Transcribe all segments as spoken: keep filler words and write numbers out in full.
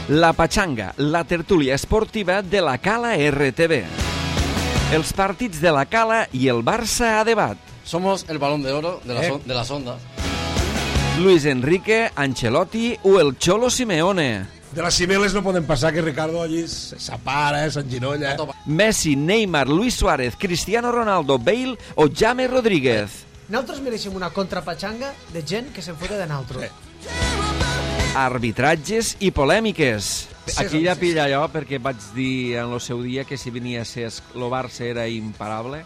La Pachanga, la tertúlia esportiva de la Cala R T V. Els partits de la Cala i el Barça a debat. Somos el balón de oro de, la eh. son, de las ondas. Luis Enrique, Ancelotti o el Cholo Simeone. De les cibeles no poden passar, que Ricardo allí s'apara, s'enginolla. Messi, Neymar, Luis Suárez, Cristiano Ronaldo, Bale o James Rodríguez. Nosaltres mereixem una contrapatxanga de gent que se'n fota de nosaltres. Sí. Arbitratges i polèmiques. Aquí ja pilla allò, perquè vaig dir en el seu dia que si venia a ser el Barça era imparable.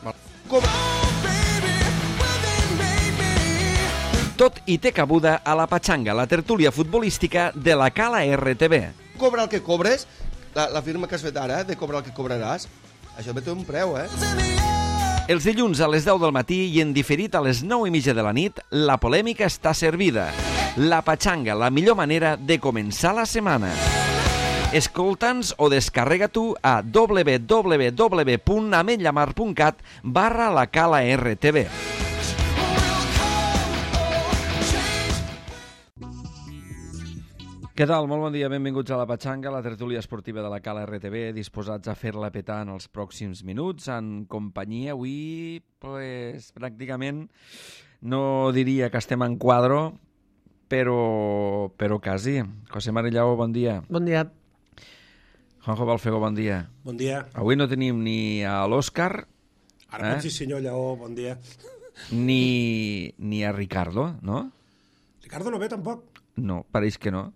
Tot i té cabuda a la Pachanga, la tertúlia futbolística de la Cala R T V. Cobra el que cobres, la, la firma que has fet ara, de cobrar el que cobraràs, això té un preu, eh? Els dilluns a les deu del matí i en diferit a les nou i mitja de la nit, la polèmica està servida. La Pachanga, la millor manera de començar la setmana. Escolta'ns o descarrega tu a w w w punt ametlllamar punt cat barra la Cala R T V. Què tal? Molt bon dia, benvinguts a la Pachanga, la tertúlia esportiva de la Cala R T V, disposats a fer-la petar en els pròxims minuts, en companyia avui, pues, pràcticament, no diria que estem en quadro, però, però quasi. José Marillao, bon dia. Bon dia. Juanjo Balfego, bon dia. Bon dia. Avui no tenim ni a l'Òscar, Ara eh? sí, senyor Lleó, bon dia. ni, ni a Ricardo, no? Ricardo no ve, tampoc? No, pareix que no.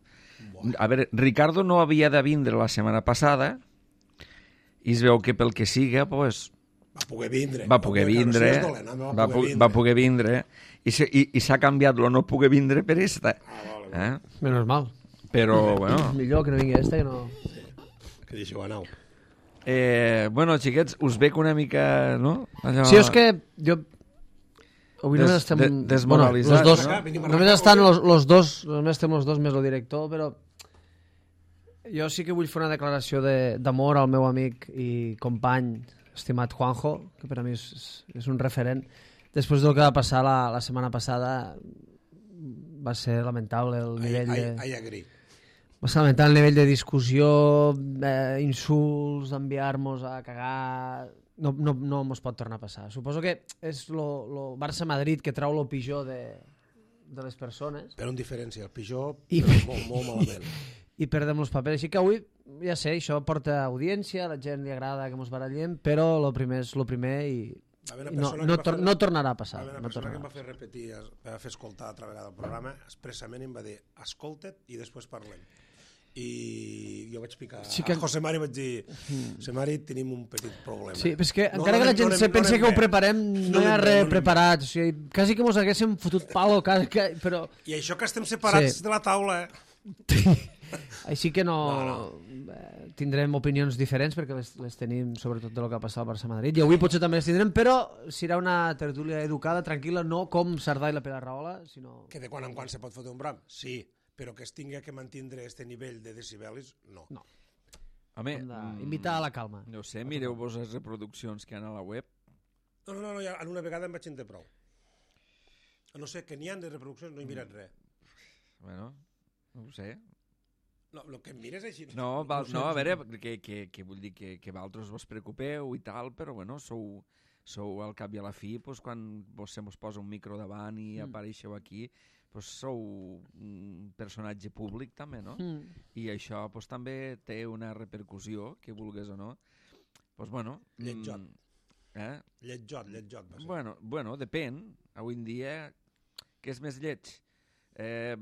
A veure, Ricardo no havia de vindre la setmana passada i es veu que pel que siga, pues, va poder vindre. va poder vindre, no, dolent, va, va, poder vindre. va poder vindre i, se, i, i s'ha canviat lo no poder vindre per esta. Ah, vale, vale. Eh? Menos mal. Però, bueno... Millor que no vingui esta que no... Que deixeu anar. Eh, bueno, xiquets, us veig una mica, no? Allò... Sí, és que jo... Avui Des, només estem... de, desmoralitzats, bueno, los dos, no? només estan los, los dos, només estem los dos més el director, però jo sí que vull fer una declaració d'amor al meu amic i company, estimat Juanjo, que per a mi és, és un referent. Després del que va passar la, la setmana passada, va ser lamentable el nivell ai, de... ai, ai, agri. Va ser lamentable el nivell de discussió, eh, insults, enviar-nos a cagar... No, no, no mos pot tornar a passar. Suposo que és lo, lo Barça-Madrid que trau lo pitjor de, de les persones. Però en diferència, el pitjor I, molt, molt malament. I perdem els papers. Així que avui, ja sé, això porta audiència, a la gent li agrada que mos barallem, però lo primer és lo primer i, i no, no, tor no tornarà a passar. Va haver una no persona tornarà. que em va fer repetir, em va fer escoltar altra vegada el programa, expressament em va dir, escolta't i després parlem. I jo vaig picar sí que... a José Mari, vaig dir, José Mari, tenim un petit problema. Sí, però és que no, encara no, que la no, gent no, se no, pensi no, que ho no, preparem, no, no, hi ha no, res no, no, preparat. O sigui, quasi que mos haguéssim fotut palo, quasi que... però... I això que estem separats Sí. de la taula, eh? Així que no, No, eh, tindrem opinions diferents perquè les, les tenim sobretot de lo que ha passat al Barça-Madrid i avui potser també les tindrem, però serà una tertúlia educada, tranquil·la, no com Sardà i la Pere Rahola, sinó... Que de quan en quan se pot fotre un bram, sí, però que es tinga que mantindre este nivell de decibelis, no. No. Home, Hem d'invitar a la calma. no sé, mireu-vos les reproduccions que hi ha a la web. No, no, no, no ja, en una vegada em vaig entendre prou. A no ser que n'hi ha de reproduccions, no he mirat res. Bueno, no ho sé. No, el que em mires així... No, val, no, a veure, que, que, que vull dir que, que vosaltres vos preocupeu i tal, però bueno, sou, sou al cap i a la fi, doncs, quan vos se mos posa un micro davant i Mm. apareixeu aquí, doncs sou un personatge públic també, no? Mm. I això doncs, també té una repercussió, que vulgues o no. Doncs bueno... Lletjot. Eh? Lletjot, lletjot. Va ser. Bueno, bueno, depèn. Avui en dia, què és més lleig? Eh,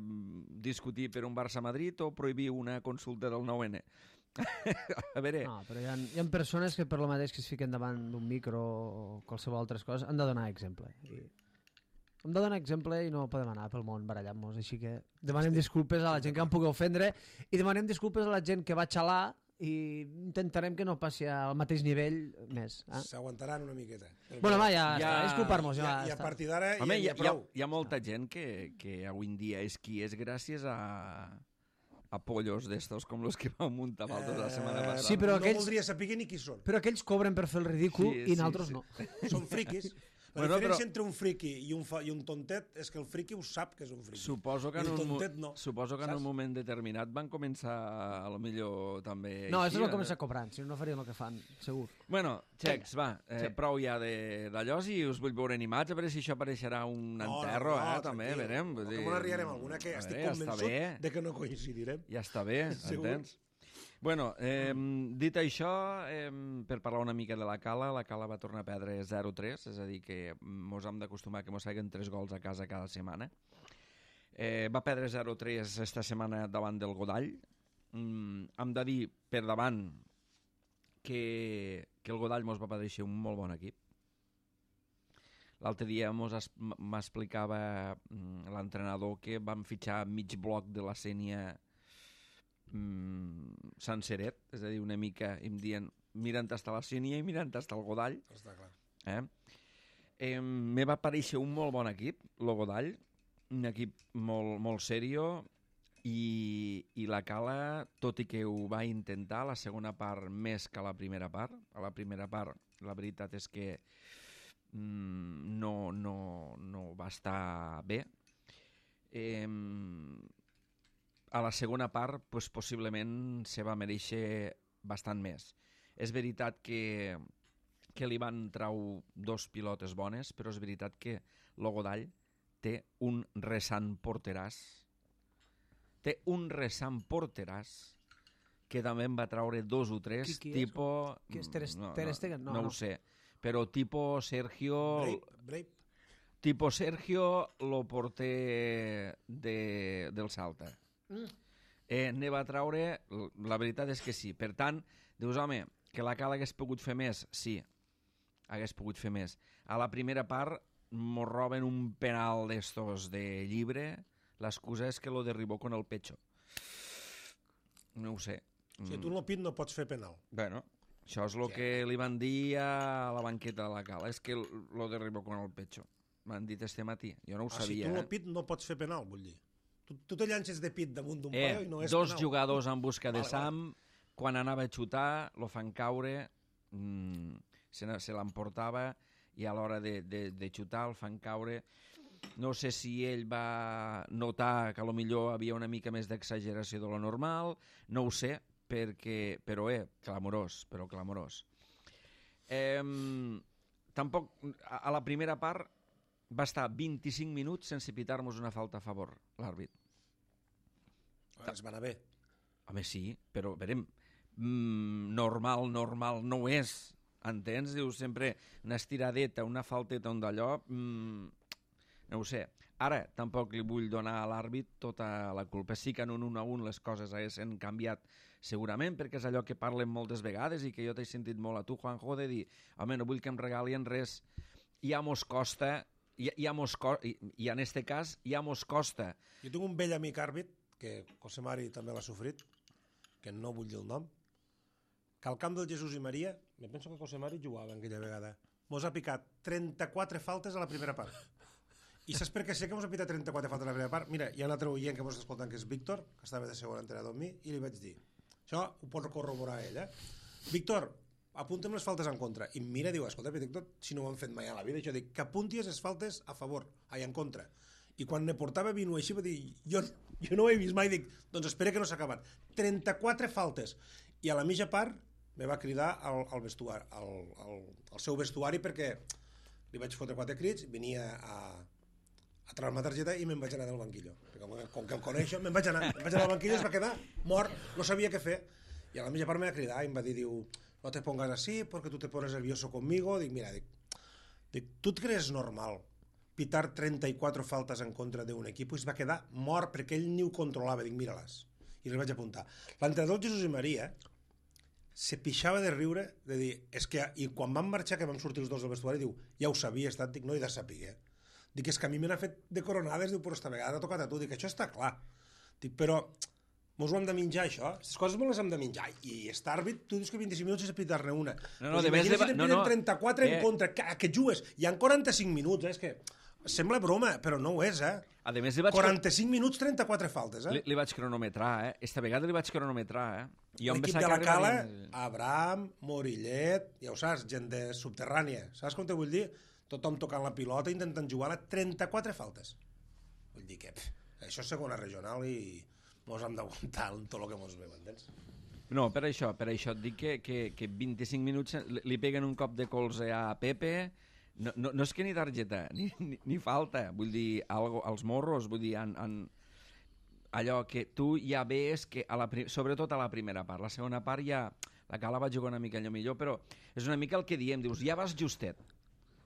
discutir per un Barça-Madrid o prohibir una consulta del nou ene? A veure... No, però hi ha, hi ha persones que per lo mateix que es fiquen davant d'un micro o qualsevol altres coses han de donar exemple. I hem de donar exemple i no podem anar pel món barallant-nos, així que demanem disculpes a la gent que em pugui ofendre i demanem disculpes a la gent que va xalar i intentarem que no passi al mateix nivell més. Eh? S'aguantaran una miqueta. Bueno, va, ja, Ja- ja disculpar-nos. I, Ja, I a està. partir d'ara Home, hi, hi, ha, hi, ha, hi ha molta gent que, que avui en dia és qui és gràcies a, a pollos d'estos com els que vam muntar vosaltres la setmana Eh, passada. Sí, però no aquells- voldria saber ni qui són. Però aquells cobren per fer el ridícul Sí, i sí, nosaltres sí. no. Són friquis. La Bueno, diferència però- entre un friqui i un, fa, i un tontet és que el friqui ho sap que és un friqui. Suposo que, I en el un, mo- tontet no. suposo que en Saps? un moment determinat van començar, a lo millor, també... No, així, això és el eh? començar cobrant, si no, no farien el que fan, segur. Bueno, Xecs, va, eh, Sí. prou ja de- d'allò, si us vull veure animats, a veure si això apareixerà un No, enterro, no, no, eh, també, tranquil. verem. No, vull que dir, me n'arribarem alguna que a estic veure, ja està convençut bé. de que no coincidirem. Ja està bé, Segur. entens? Bueno, eh, dit això, eh, per parlar una mica de la Cala, la Cala va tornar a perdre zero tres, és a dir, que mos hem d'acostumar que mos feien tres gols a casa cada setmana. Eh, va perdre zero tres esta setmana davant del Godall. Mm, hem de dir, per davant, que, que el Godall mos va pareixer un molt bon equip. L'altre dia mos es- m'explicava mm, l'entrenador que van fitxar mig bloc de la Sènia mm, senceret, és a dir, una mica, em dient, mirant hasta la Sènia i mirant hasta el Godall. Està clar. Eh? Eh, me va parèixer un molt bon equip, el Godall, un equip molt, molt serio, i, i la Cala, tot i que ho va intentar, la segona part més que la primera part. A la primera part, la veritat és que mm, no, no, no va estar bé. Eh, a la segona part, pues, possiblement se va mereixer bastant més. És veritat que, que li van trau dos pilotes bones, però és veritat que el Godall té un resant porteràs. Té un resant porteràs que també en va traure dos o tres, Qui- qui és? tipo... Qui és? Ter- no, Ter no, Stegen? No, no no. ho sé, però tipo Sergio... Brape, Brape. Tipo Sergio, lo porter de, del Salta. Mm. Eh, ne va traure, la veritat és que sí. Per tant, dius, home, que la Cala hagués pogut fer més? Sí, hagués pogut fer més. A la primera part mos roben un penal d'estos de llibre, l'excusa és que lo derribó con el pecho. No ho sé. Si tu en el pit no pots fer penal. Bueno, això és el que li van dir a la banqueta de la Cala, és que lo derribó con el pecho. M'han dit este matí, jo no ho Ah, si sabia. tu en el eh? pit no pots fer penal, vull dir. Tu, tu te llances de pit damunt d'un Eh, paio i no és dos penal. jugadors en busca de Vale, Sam, quan anava a xutar, lo fan caure, mm, se, ne- se l'emportava, i a l'hora de, de, de xutar el fan caure. No sé si ell va notar que a lo millor havia una mica més d'exageració de lo normal, no ho sé, perquè, però eh, clamorós, però clamorós. Eh, tampoc, a, a la primera part va estar vint-i-cinc minuts sense pitar-nos una falta a favor, l'àrbit. Es va anar bé. Home, sí, però, verem, mm, normal, normal no ho és, entens? Dius sempre una estiradeta, una falteta, un d'allò, mm, no ho sé. Ara, tampoc li vull donar a l'àrbit tota la culpa. Sí que en un un a un les coses haguessin canviat segurament, perquè és allò que parlem moltes vegades i que jo t'he sentit molt a tu, Juanjo, de dir, home, no vull que em regalien res, ja mos costa, ja, ja mos co i, i en este cas ja mos costa. Jo tinc un vell amic àrbit, que José Mari també l'ha sofrit, que no vull dir el nom, que al camp del Jesús i Maria, me penso que José Mari jugava en aquella vegada, mos ha picat trenta-quatre faltes a la primera part. I saps per què sé que mos ha picat trenta-quatre faltes a la primera part? Mira, hi ha un altre oient que mos està escoltant, que és Víctor, que estava de segon entrenador amb mi, i li vaig dir, això ho pot corroborar ell, eh? Víctor, apunta'm les faltes en contra. I em mira i diu, escolta, Víctor, si no ho han fet mai a la vida, jo dic, que apuntis les faltes a favor, ai, en contra. I quan ne portava vino així va dir, jo, jo no ho he vist mai, dic, doncs espera que no s'ha acabat. trenta-quatre faltes. I a la mitja part me va cridar al, al, vestuari, al, al, al seu vestuari perquè li vaig fotre quatre crits, venia a, a treure la targeta i me'n vaig anar del banquillo. Perquè com, com que el coneixo, me'n vaig anar. Me'n vaig anar al banquillo i es va quedar mort, no sabia què fer. I a la mitja part me va cridar i em va dir, diu, no te pongas así porque tú te pones nervioso conmigo. Dic, mira, dic, dic tu et creus normal pitar trenta-quatre faltes en contra d'un equip i es va quedar mort perquè ell ni ho controlava. Dic, mira-les. I les vaig apuntar. L'entrenador Jesús i Maria se pixava de riure, de dir, és que, i quan vam marxar, que vam sortir els dos del vestuari, diu, ja ho sabia, estat, dic, no he de saber. Dic, és que a mi me n'ha fet de coronades, diu, però esta vegada ha tocat a tu. Dic, això està clar. Dic, però mos ho hem de menjar, això. Aquestes coses me les hem de menjar. I aquest àrbit, tu dius que vint-i-cinc minuts sense pitar-ne una. No, no, pues de més imagina de- si te'n no, piden no. trenta-quatre Eh. en contra, que, que jugues. Hi ha quaranta-cinc minuts, eh? És que sembla broma, però no ho és, eh? A més, li vaig, quaranta-cinc minuts, trenta-quatre faltes, eh? li, li vaig cronometrar, eh? Esta vegada li vaig cronometrar, eh? I jo em L'equip pensava de la que Cala, arribaria- Abraham, Morillet, ja ho saps, gent de subterrània. Saps com te vull dir? tothom tocant la pilota, intentant jugar-la, trenta-quatre faltes. Vull dir que pff, això és segona regional i mos hem d'aguantar tot el que mos ve, m'entens? No, per això, per això et dic que, que, que vint-i-cinc minuts li peguen un cop de colze a Pepe, no, no, no és que ni targeta, ni, ni, ni falta, vull dir, algo, als morros, vull dir, en, en, allò que tu ja ves que, a la, sobretot a la primera part, la segona part ja, la Cala va jugar una mica allò millor, però és una mica el que diem, dius, ja vas justet.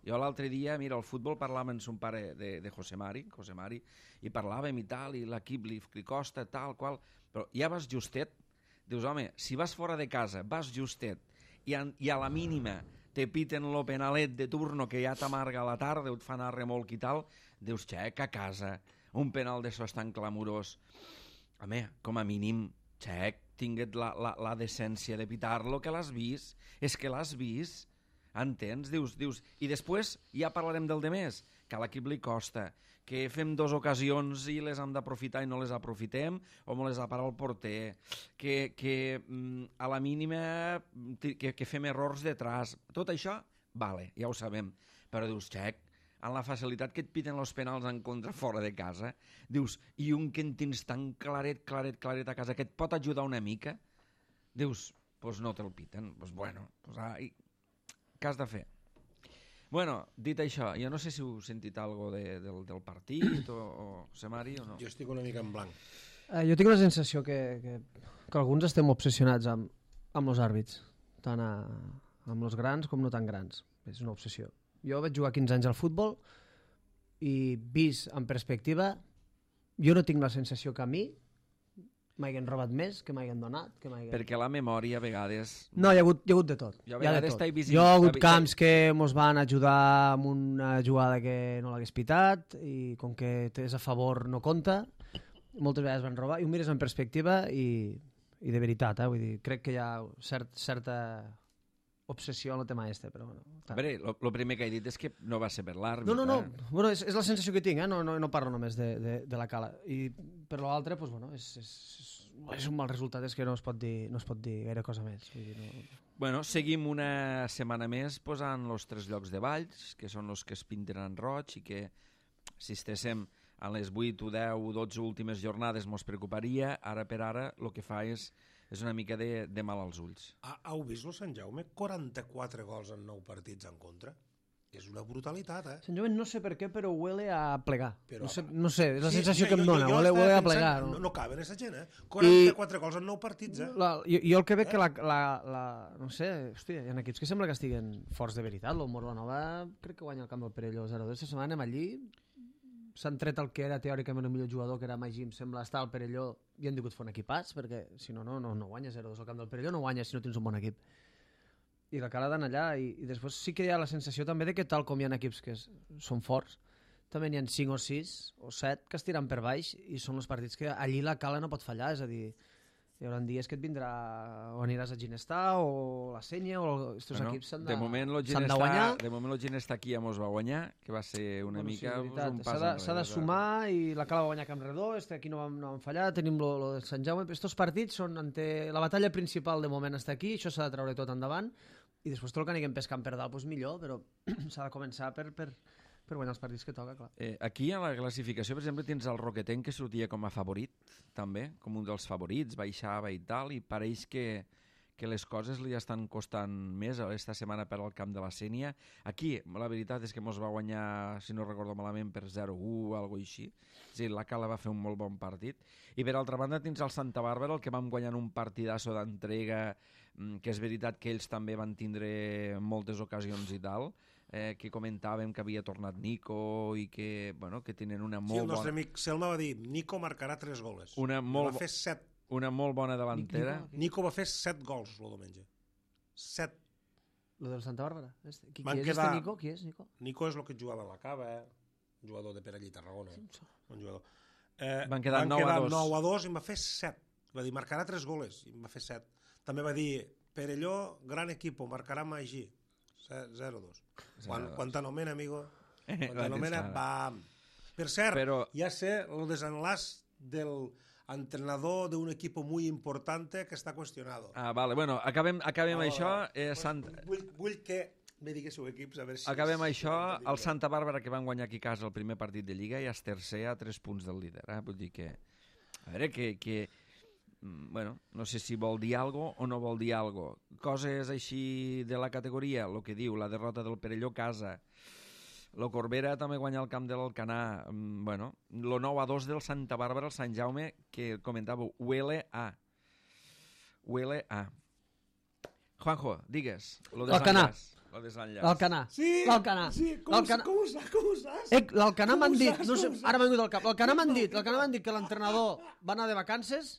Jo l'altre dia, mira, al futbol parlàvem amb son pare de, de José Mari, José Mari, i parlàvem i tal, i l'equip li, li costa, tal, qual, però ja vas justet. Dius, home, si vas fora de casa, vas justet, i a, i a la mínima te piten lo penalet de turno que ja t'amarga a la tarda, o et fan a remolc i tal, dius, xec, a casa, un penal d'això tan clamorós. Home, com a mínim, xec, tinguet la, la, la decència de pitar-lo, que l'has vist, és que l'has vist, entens? Dius, dius, i després ja parlarem del de més, que a l'equip li costa, que fem dues ocasions i les hem d'aprofitar i no les aprofitem, o me les ha parat el porter, que, que a la mínima que, que fem errors de traç. Tot això, vale, ja ho sabem, però dius, xec, en la facilitat que et piten els penals en contra fora de casa, dius, i un que en tens tan claret, claret, claret a casa, que et pot ajudar una mica, dius, doncs pues no te'l piten, doncs pues bueno, pues, ai, què has de fer? Bueno, dit això, jo no sé si heu sentit alguna cosa de, del, del partit o, o Semari o no. Jo estic una mica en blanc. Eh, jo tinc la sensació que, que, que alguns estem obsessionats amb, amb els àrbits, tant a, amb els grans com no tan grans. És una obsessió. Jo vaig jugar quinze anys al futbol i vist en perspectiva, jo no tinc la sensació que a mi m'hagin robat més, que m'hagin donat, que m'hagin... Perquè la memòria a vegades... No, hi ha hagut, hi ha hagut de tot. Jo a hi ha de vegades tot. t'he vist... Hi ha hagut camps que mos van ajudar amb una jugada que no l'hagués pitat i com que és a favor no compta, moltes vegades van robar i ho mires en perspectiva i, i de veritat, eh? Vull dir, crec que hi ha cert, certa obsessió en el tema este, però bueno... A veure, el primer que he dit és que no va ser per l'àrbit. No, no, no, eh? bueno, és, és la sensació que tinc, eh? no, no, no parlo només de, de, de la Cala. I per l'altre, pues, bueno, és, és, és un mal resultat, és que no es pot dir, no es pot dir gaire cosa més. Vull dir, no... Bueno, seguim una setmana més posant els tres llocs de Valls, que són els que es pinten en roig i que, si estéssim a les vuit o deu o dotze últimes jornades mos preocuparia, ara per ara el que fa és és una mica de, de mal als ulls. Ha, heu vist el Sant Jaume? quaranta-quatre gols en nou partits en contra. És una brutalitat, eh? Sant Jaume no sé per què, però huele a plegar. Però... No, sé, no sé, és la Sí, sensació jo- que em jo- dona, jo huele, estava huele a pensant, plegar. No, No? no caben aquesta gent, eh? quaranta-quatre gols en nou partits, eh? La, jo, jo el que veig que la, la, la... No sé, hòstia, hi ha equips que sembla que estiguen forts de veritat. El Morlanova crec que guanya el camp del Perelló zero dos. Aquesta setmana anem allí, s'han tret el que era teòricament el millor jugador, que era Magí, em sembla, estar al Perelló, i han tingut fer un equipàs, perquè si no, no, no, no guanya zero dos al camp del Perelló, no guanya si no tens un bon equip. I la Cala d'anar allà, i, i després sí que hi ha la sensació també de que tal com hi ha equips que és, són forts, també n'hi ha cinc o sis o set que es tiren per baix i són els partits que allí la Cala no pot fallar, és a dir, hi haurà dies que et vindrà o aniràs a Ginestar o la Senya o aquests Bueno, equips s'han de, de moment lo s'han de Ginestà, guanyar. de moment el Ginestà aquí ja mos va guanyar, que va ser una Bueno, mica sí, pues, veritat. un S'ha pas de, enrere. s'ha de sumar i la Cala va guanyar Camp Redó, este aquí no vam, no vam fallar, tenim lo, lo de Sant Jaume, estos partits són ante... la batalla principal de moment està aquí, això s'ha de treure tot endavant i després tot el que anem pescant per dalt, pues millor, però s'ha de començar per, per, per guanyar els partits que toca, clar. Eh, aquí a la classificació, per exemple, tens el Roquetenc que sortia com a favorit, també, com un dels favorits, baixava i tal, i pareix que, que les coses li estan costant més esta setmana per al camp de la Sénia. Aquí, la veritat és que mos va guanyar, si no recordo malament, per zero u o alguna cosa així. És a dir, la Cala va fer un molt bon partit. I per altra banda tens el Santa Bàrbara, el que vam guanyar en un partidasso d'entrega, que és veritat que ells també van tindre moltes ocasions i tal, eh, que comentàvem que havia tornat Nico i que, bueno, que tenen una molt Sí, el nostre bona... amic Selma va dir Nico marcarà tres goles. Una molt Va bo- fer set. una molt bona davantera. Nico, Nico va fer set gols el diumenge. Set. Lo del Santa Bàrbara. Este. Qui, Van qui és quedar- este Nico? Qui és Nico? Nico és el que jugava a la Cava, eh? Un jugador de Perellí Tarragona. Un jugador. Eh, Van quedar nou a dos. nou a dos i em va fer set. Va dir, marcarà tres goles i em va fer set. També va dir, Perelló, gran equipo, marcarà Magí. zero dos. Quan, quan t'anomena, amigo, quan t'anomena, bam. Per cert, Però- ja sé el desenlaç del entrenador d'un equipo muy importante que està qüestionado. Ah, vale, bueno, acabem, acabem Ah, això. Eh, pues, Sant... vull, vull que me diguéssiu equips, a veure si... Acabem si això, si el Santa Bàrbara, que van guanyar aquí a casa el primer partit de Lliga, ja és tercer a tres punts del líder. Eh? Vull dir que... A veure, que... que bueno, no sé si vol dir algo o no vol dir algo. Coses així de la categoria, el que diu, la derrota del Perelló a casa, lo Corbera també guanya el camp de l'Alcanar, bueno, lo nou a dos del Santa Bàrbara, el Sant Jaume, que comentàveu, huele a. Huele a. Juanjo, digues. Lo L'Alcanar. Lo desenllaç. L'Alcanar. Sí, L'Alcanar. sí, com, L'Alcanar. com, ho saps? Com ho saps? Eh, L'Alcanar Com m'han ho dit, saps? no sé, Com ho ara saps? m'ha vingut al cap, l'Alcanar m'han dit, l'Alcanar m'han dit que l'entrenador va anar de vacances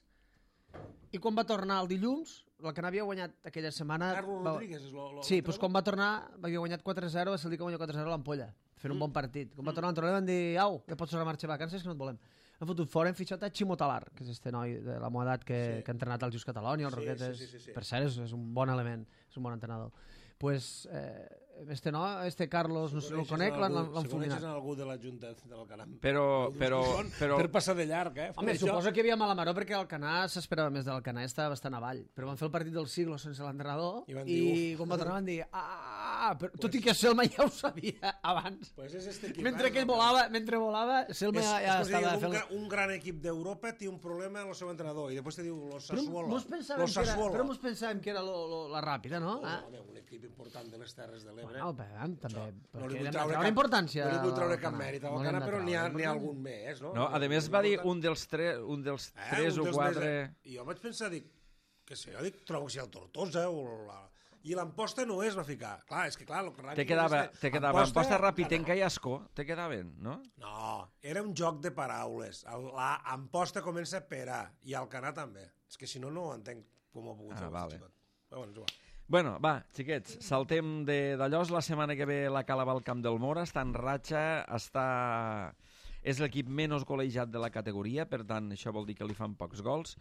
i quan va tornar el dilluns, l'Alcanar havia guanyat aquella setmana... Carlos va- Rodríguez és lo, lo Sí, doncs quan va tornar, havia guanyat quatre a zero, va ser el dia que guanyar quatre a zero a l'Ampolla, fent un bon partit. Quan va tornar l'entrenador van dir, au, ja pots anar a marxar de vacances, que no et volem. Han fotut fora, hem fitxat a Ximo Talar, que és este noi de la meva edat que, Sí. que ha entrenat al Just Catalonia, el Sí, Roquetes, sí, sí, sí, sí. per cert, és, és un bon element, és un bon entrenador. Pues, eh, este no, este Carlos, no sé si el conec, l'han l'han Si coneixes fulminat. en algú de la Junta de l'Alcanar... Però- però- però- Per passar de llarg, eh? Home, Això- suposo que hi havia mala maró perquè l'Alcanar s'esperava més de l'Alcanar, estava bastant avall. Però van fer el partit del siglo sense l'entrenador I van i, dir, quan va tornar van dir ah, però, tot i que Selma ja ho sabia abans. Pues és este equip, Mentre eh, que ell no? volava, mentre volava, Selma És, ja, és ja com si estava diguem, un, fent... gran, un gran equip d'Europa té un problema amb el seu entrenador i després te diu los Però Sassuolo. mos pensàvem, Los que era, Sassuolo. però mos pensàvem que era lo, lo, la ràpida, no? No, Ah? home, un equip important de les Terres de l'Ebre. Bueno, però, també, no perquè li vull hem de treure treure cap, importància no li vull a treure cap l'Alcanar. mèrit a No li hem l'Alcanar, de però n'hi ha, treure n'hi ha importància. algun més, no? No, a més va dir un dels, tres, un dels Eh, tres un o dels quatre... Més, eh? I jo vaig pensar, dic, què sé, jo dic, trobo que si el Tortosa o la... I l'Amposta no es va ficar. Clar, és que clar... El Te quedava, te quedava Amposta, Amposta Rapitenca i Ascó, te quedaven, no? No, era un joc de paraules. El- La Amposta comença per A i Alcanar també. És que si no, no ho entenc com ho ha pogut Ah, fer. vale. Xicot. Però bueno, és igual. Bueno, va, xiquets, saltem de- d'allòs. La setmana que ve la Cala va al camp del Mora, està en ratxa, està... és l'equip menys golejat de la categoria, per tant, això vol dir que li fan pocs gols,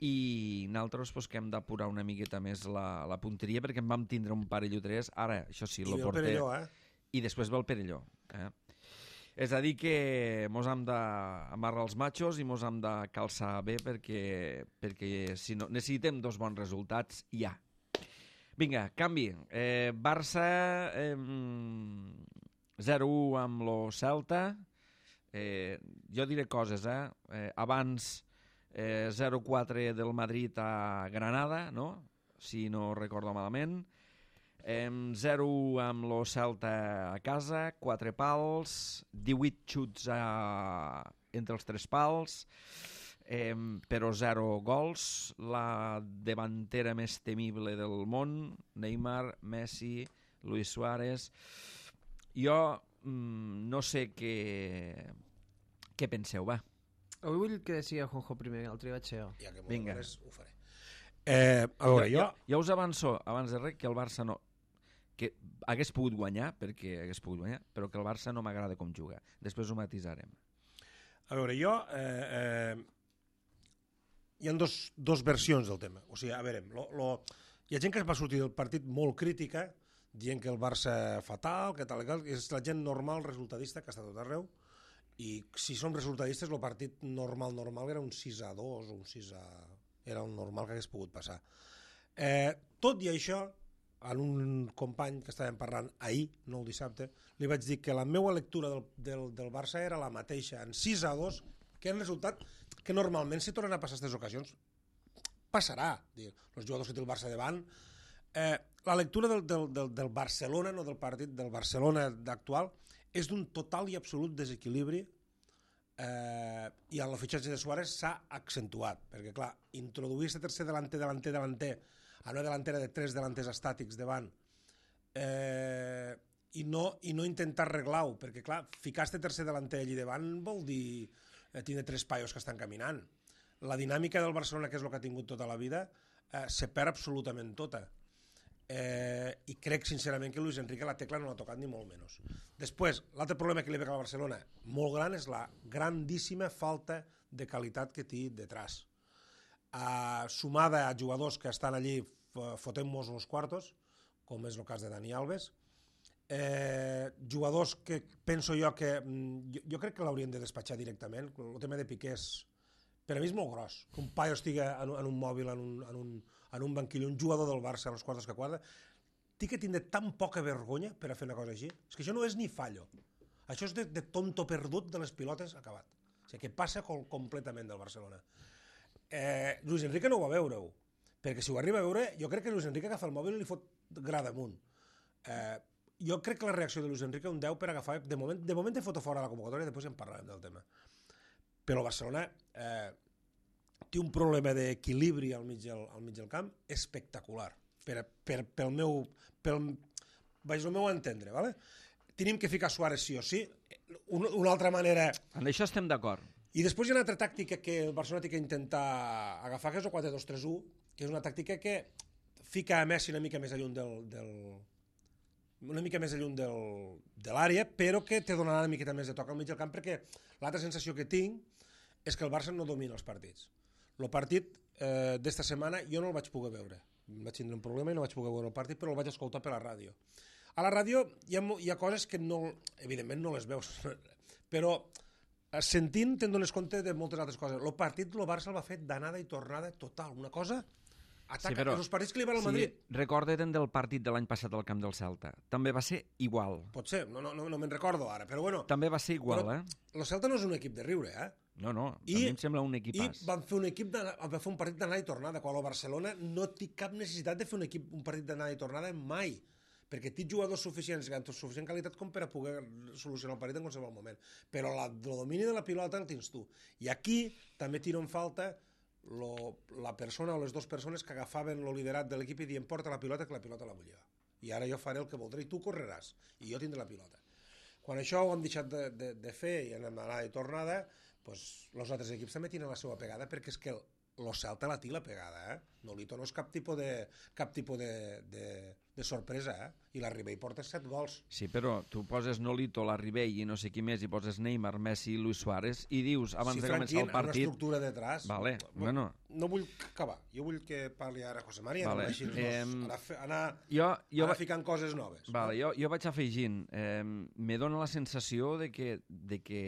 i nosaltres pues, que hem d'apurar una miqueta més la, la punteria, perquè en vam tindre un parell o tres, ara, això sí, I lo ve el porter... Perelló, eh? I després ve el Perelló. Eh? És a dir que mos hem d'amarrar els machos i mos hem de calçar bé perquè, perquè si no, necessitem dos bons resultats ja. Vinga, canvi. Eh, Barça eh, zero u amb lo Celta. Eh, jo diré coses, eh? eh abans eh, zero quatre del Madrid a Granada, no? Si no recordo malament. Eh, zero u amb lo Celta a casa, quatre pals, divuit xuts a... entre els tres pals, eh, però zero gols. La davantera més temible del món, Neymar, Messi, Luis Suárez. Jo mm, no sé què, què penseu, va. Avui vull que decía Juanjo primer, l'altre dia vaig ser jo. Ja que m'ho Vinga. demanes, ho faré. Eh, a veure, jo... Ja, ja us avanço, abans de res, que el Barça no... que hagués pogut guanyar, perquè hagués pogut guanyar, però que el Barça no m'agrada com juga. Després ho matisarem. A veure, jo... Eh, eh, hi ha dos, dos versions del tema. O sigui, a veure, lo, lo, hi ha gent que va sortir del partit molt crítica, dient que el Barça fatal, que tal i tal, és la gent normal, resultadista, que està tot arreu, i si som resultadistes, el partit normal, normal era un sis a dos o un sis a... Era un normal que hagués pogut passar. Eh, tot i això, en un company que estàvem parlant ahir, no el dissabte, li vaig dir que la meva lectura del, del, del Barça era la mateixa, en sis a dos, que és un resultat que normalment si tornen a passar aquestes ocasions passarà, dir, els jugadors que té el Barça davant. Eh, la lectura del, del, del, del Barcelona, no del partit, del Barcelona actual, és d'un total i absolut desequilibri, eh, i en el fitxatge de Suárez s'ha accentuat, perquè clar, introduir aquest tercer delanter, delanter, delanter, a una delantera de tres delanters estàtics davant, eh, i, no, i no intentar arreglar-ho, perquè clar, ficar este tercer delanter allí davant vol dir eh, tindre tres paios que estan caminant. La dinàmica del Barcelona, que és el que ha tingut tota la vida, eh, se perd absolutament tota. Eh, I crec sincerament que Luis Enrique la tecla no l'ha tocat ni molt menys. Després, l'altre problema que li ve a Barcelona molt gran és la grandíssima falta de qualitat que té detrás. Uh, sumada a jugadors que estan allí fotent-nos los quartos, com és el cas de Dani Alves, eh, jugadors que penso jo que jo, jo crec que l'haurien de despatxar directament. El tema de Piqué és, per a mi és molt gros, que un paio estigui en, en un mòbil, en un, en, un, en un banquillo, un jugador del Barça, als quartos que quadra, T'hi que tindre tan poca vergonya per a fer una cosa així. És que això no és ni fallo. Això és de, de tonto perdut de les pilotes acabat. O sigui, que passa col, completament del Barcelona. Eh, Luis Enrique no ho va veure-ho, perquè si ho arriba a veure, jo crec que Luis Enrique agafa el mòbil i li fot gra damunt. Eh, jo crec que la reacció de Luis Enrique un deu per agafar... De moment, de moment he fot fora la convocatòria, després en parlarem del tema. Però Barcelona eh, té un problema d'equilibri al mig del, al mig del camp espectacular. Per, per, pel meu... Pel, vaig el meu entendre, ¿vale? Tenim que ficar Suárez sí o sí. Una, una altra manera... En això estem d'acord. I després hi ha una altra tàctica que el Barcelona té que intentar agafar, que és el quatre dos tres u, que és una tàctica que fica a Messi una mica més lluny del... del una mica més lluny del, de l'àrea, però que te donarà una miqueta més de toc al mig del camp, perquè l'altra sensació que tinc és que el Barça no domina els partits. El partit eh, d'esta setmana jo no el vaig poder veure. Vaig tindre un problema i no vaig poder veure el partit, però el vaig escoltar per la ràdio. A la ràdio hi ha, hi ha coses que no, evidentment no les veus, però sentint te'n dones compte de moltes altres coses. El partit el Barça el va fer d'anada i tornada total, una cosa... Ataca, sí, però, els partits que li van al Madrid. Sí, recorda't del partit de l'any passat al camp del Celta. També va ser igual. Pot ser, no, no, no, no me'n recordo ara, però bueno... També va ser igual, però, eh? El Celta no és un equip de riure, eh? No, no, I, a mi em sembla un equipàs. I van fer un, equip de, van fer un partit d'anada i tornada, quan el Barcelona no té cap necessitat de fer un, equip, un partit d'anada i tornada mai, perquè té jugadors suficients, amb suficient qualitat com per a poder solucionar el partit en qualsevol moment. Però la, el domini de la pilota el tens tu. I aquí també tiro en falta Lo, la persona o les dues persones que agafaven el liderat de l'equip i dient porta la pilota, que la pilota la vull jo. I ara jo faré el que voldré i tu correràs i jo tindré la pilota. Quan això ho hem deixat de, de, de fer i anem d'anada i tornada, doncs els altres equips també tenen la seva pegada, perquè és que el, el Celta la té la pegada, eh? Nolito no és cap tipus de, cap tipus de, de, de sorpresa, eh? I la Ribey porta set gols. Sí, però tu poses Nolito, la Ribey i no sé qui més, i poses Neymar, Messi i Luis Suárez, i dius, abans sí, de començar el partit... Sí, una estructura detrás. Vale, bueno... No vull acabar, jo vull que parli ara José María, vale. No eh, anar, anar, jo, jo anar ficant coses noves. Vale, no? jo, jo vaig afegint, eh, me dona la sensació de que... De que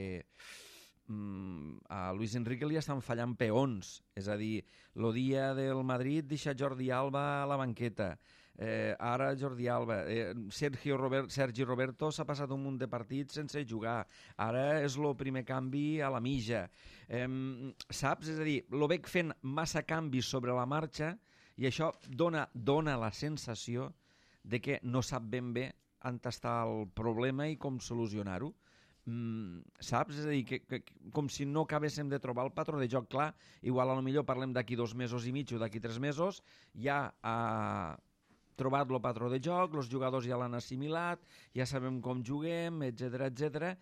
a Luis Enrique li estan fallant peons, és a dir, el dia del Madrid deixa Jordi Alba a la banqueta, eh, ara Jordi Alba, eh, Sergio Robert, Sergi Roberto s'ha passat un munt de partits sense jugar, ara és el primer canvi a la mitja, eh, saps? És a dir, lo veig fent massa canvis sobre la marxa i això dona, dona la sensació de que no sap ben bé on està el problema i com solucionar-ho. Mm, saps? És a dir, que, que, com si no acabéssim de trobar el patró de joc clar. Igual a lo millor parlem d'aquí dos mesos i mig o d'aquí tres mesos, ja ha trobat el patró de joc, els jugadors ja l'han assimilat, ja sabem com juguem, etcètera, etcètera.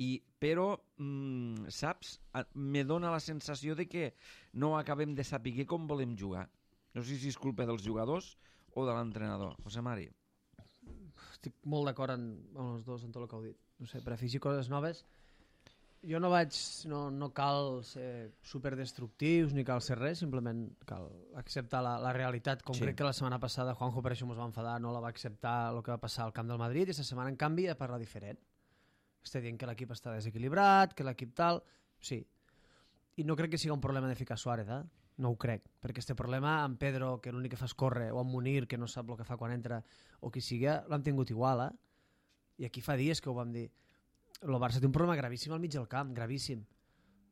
I, però, mm, saps? Me dona la sensació de que no acabem de saber com volem jugar. No sé si és culpa dels jugadors o de l'entrenador. José Mari. Estic molt d'acord amb, amb els dos en tot el que heu dit. No sé, per afegir coses noves, jo no vaig, no, no cal ser superdestructius ni cal ser res, simplement cal acceptar la, la realitat, com sí. Crec que la setmana passada Juanjo per això ens va enfadar, no la va acceptar el que va passar al camp del Madrid, i aquesta setmana en canvi ha parlat diferent. Està dient que l'equip està desequilibrat, que l'equip tal... Sí, i no crec que sigui un problema de ficar Suárez, eh? No ho crec, perquè este problema amb Pedro, que l'únic que fa és córrer, o amb Munir, que no sap el que fa quan entra, o qui sigui, l'han tingut igual, eh? I aquí fa dies que ho vam dir. El Barça té un problema gravíssim al mig del camp, gravíssim.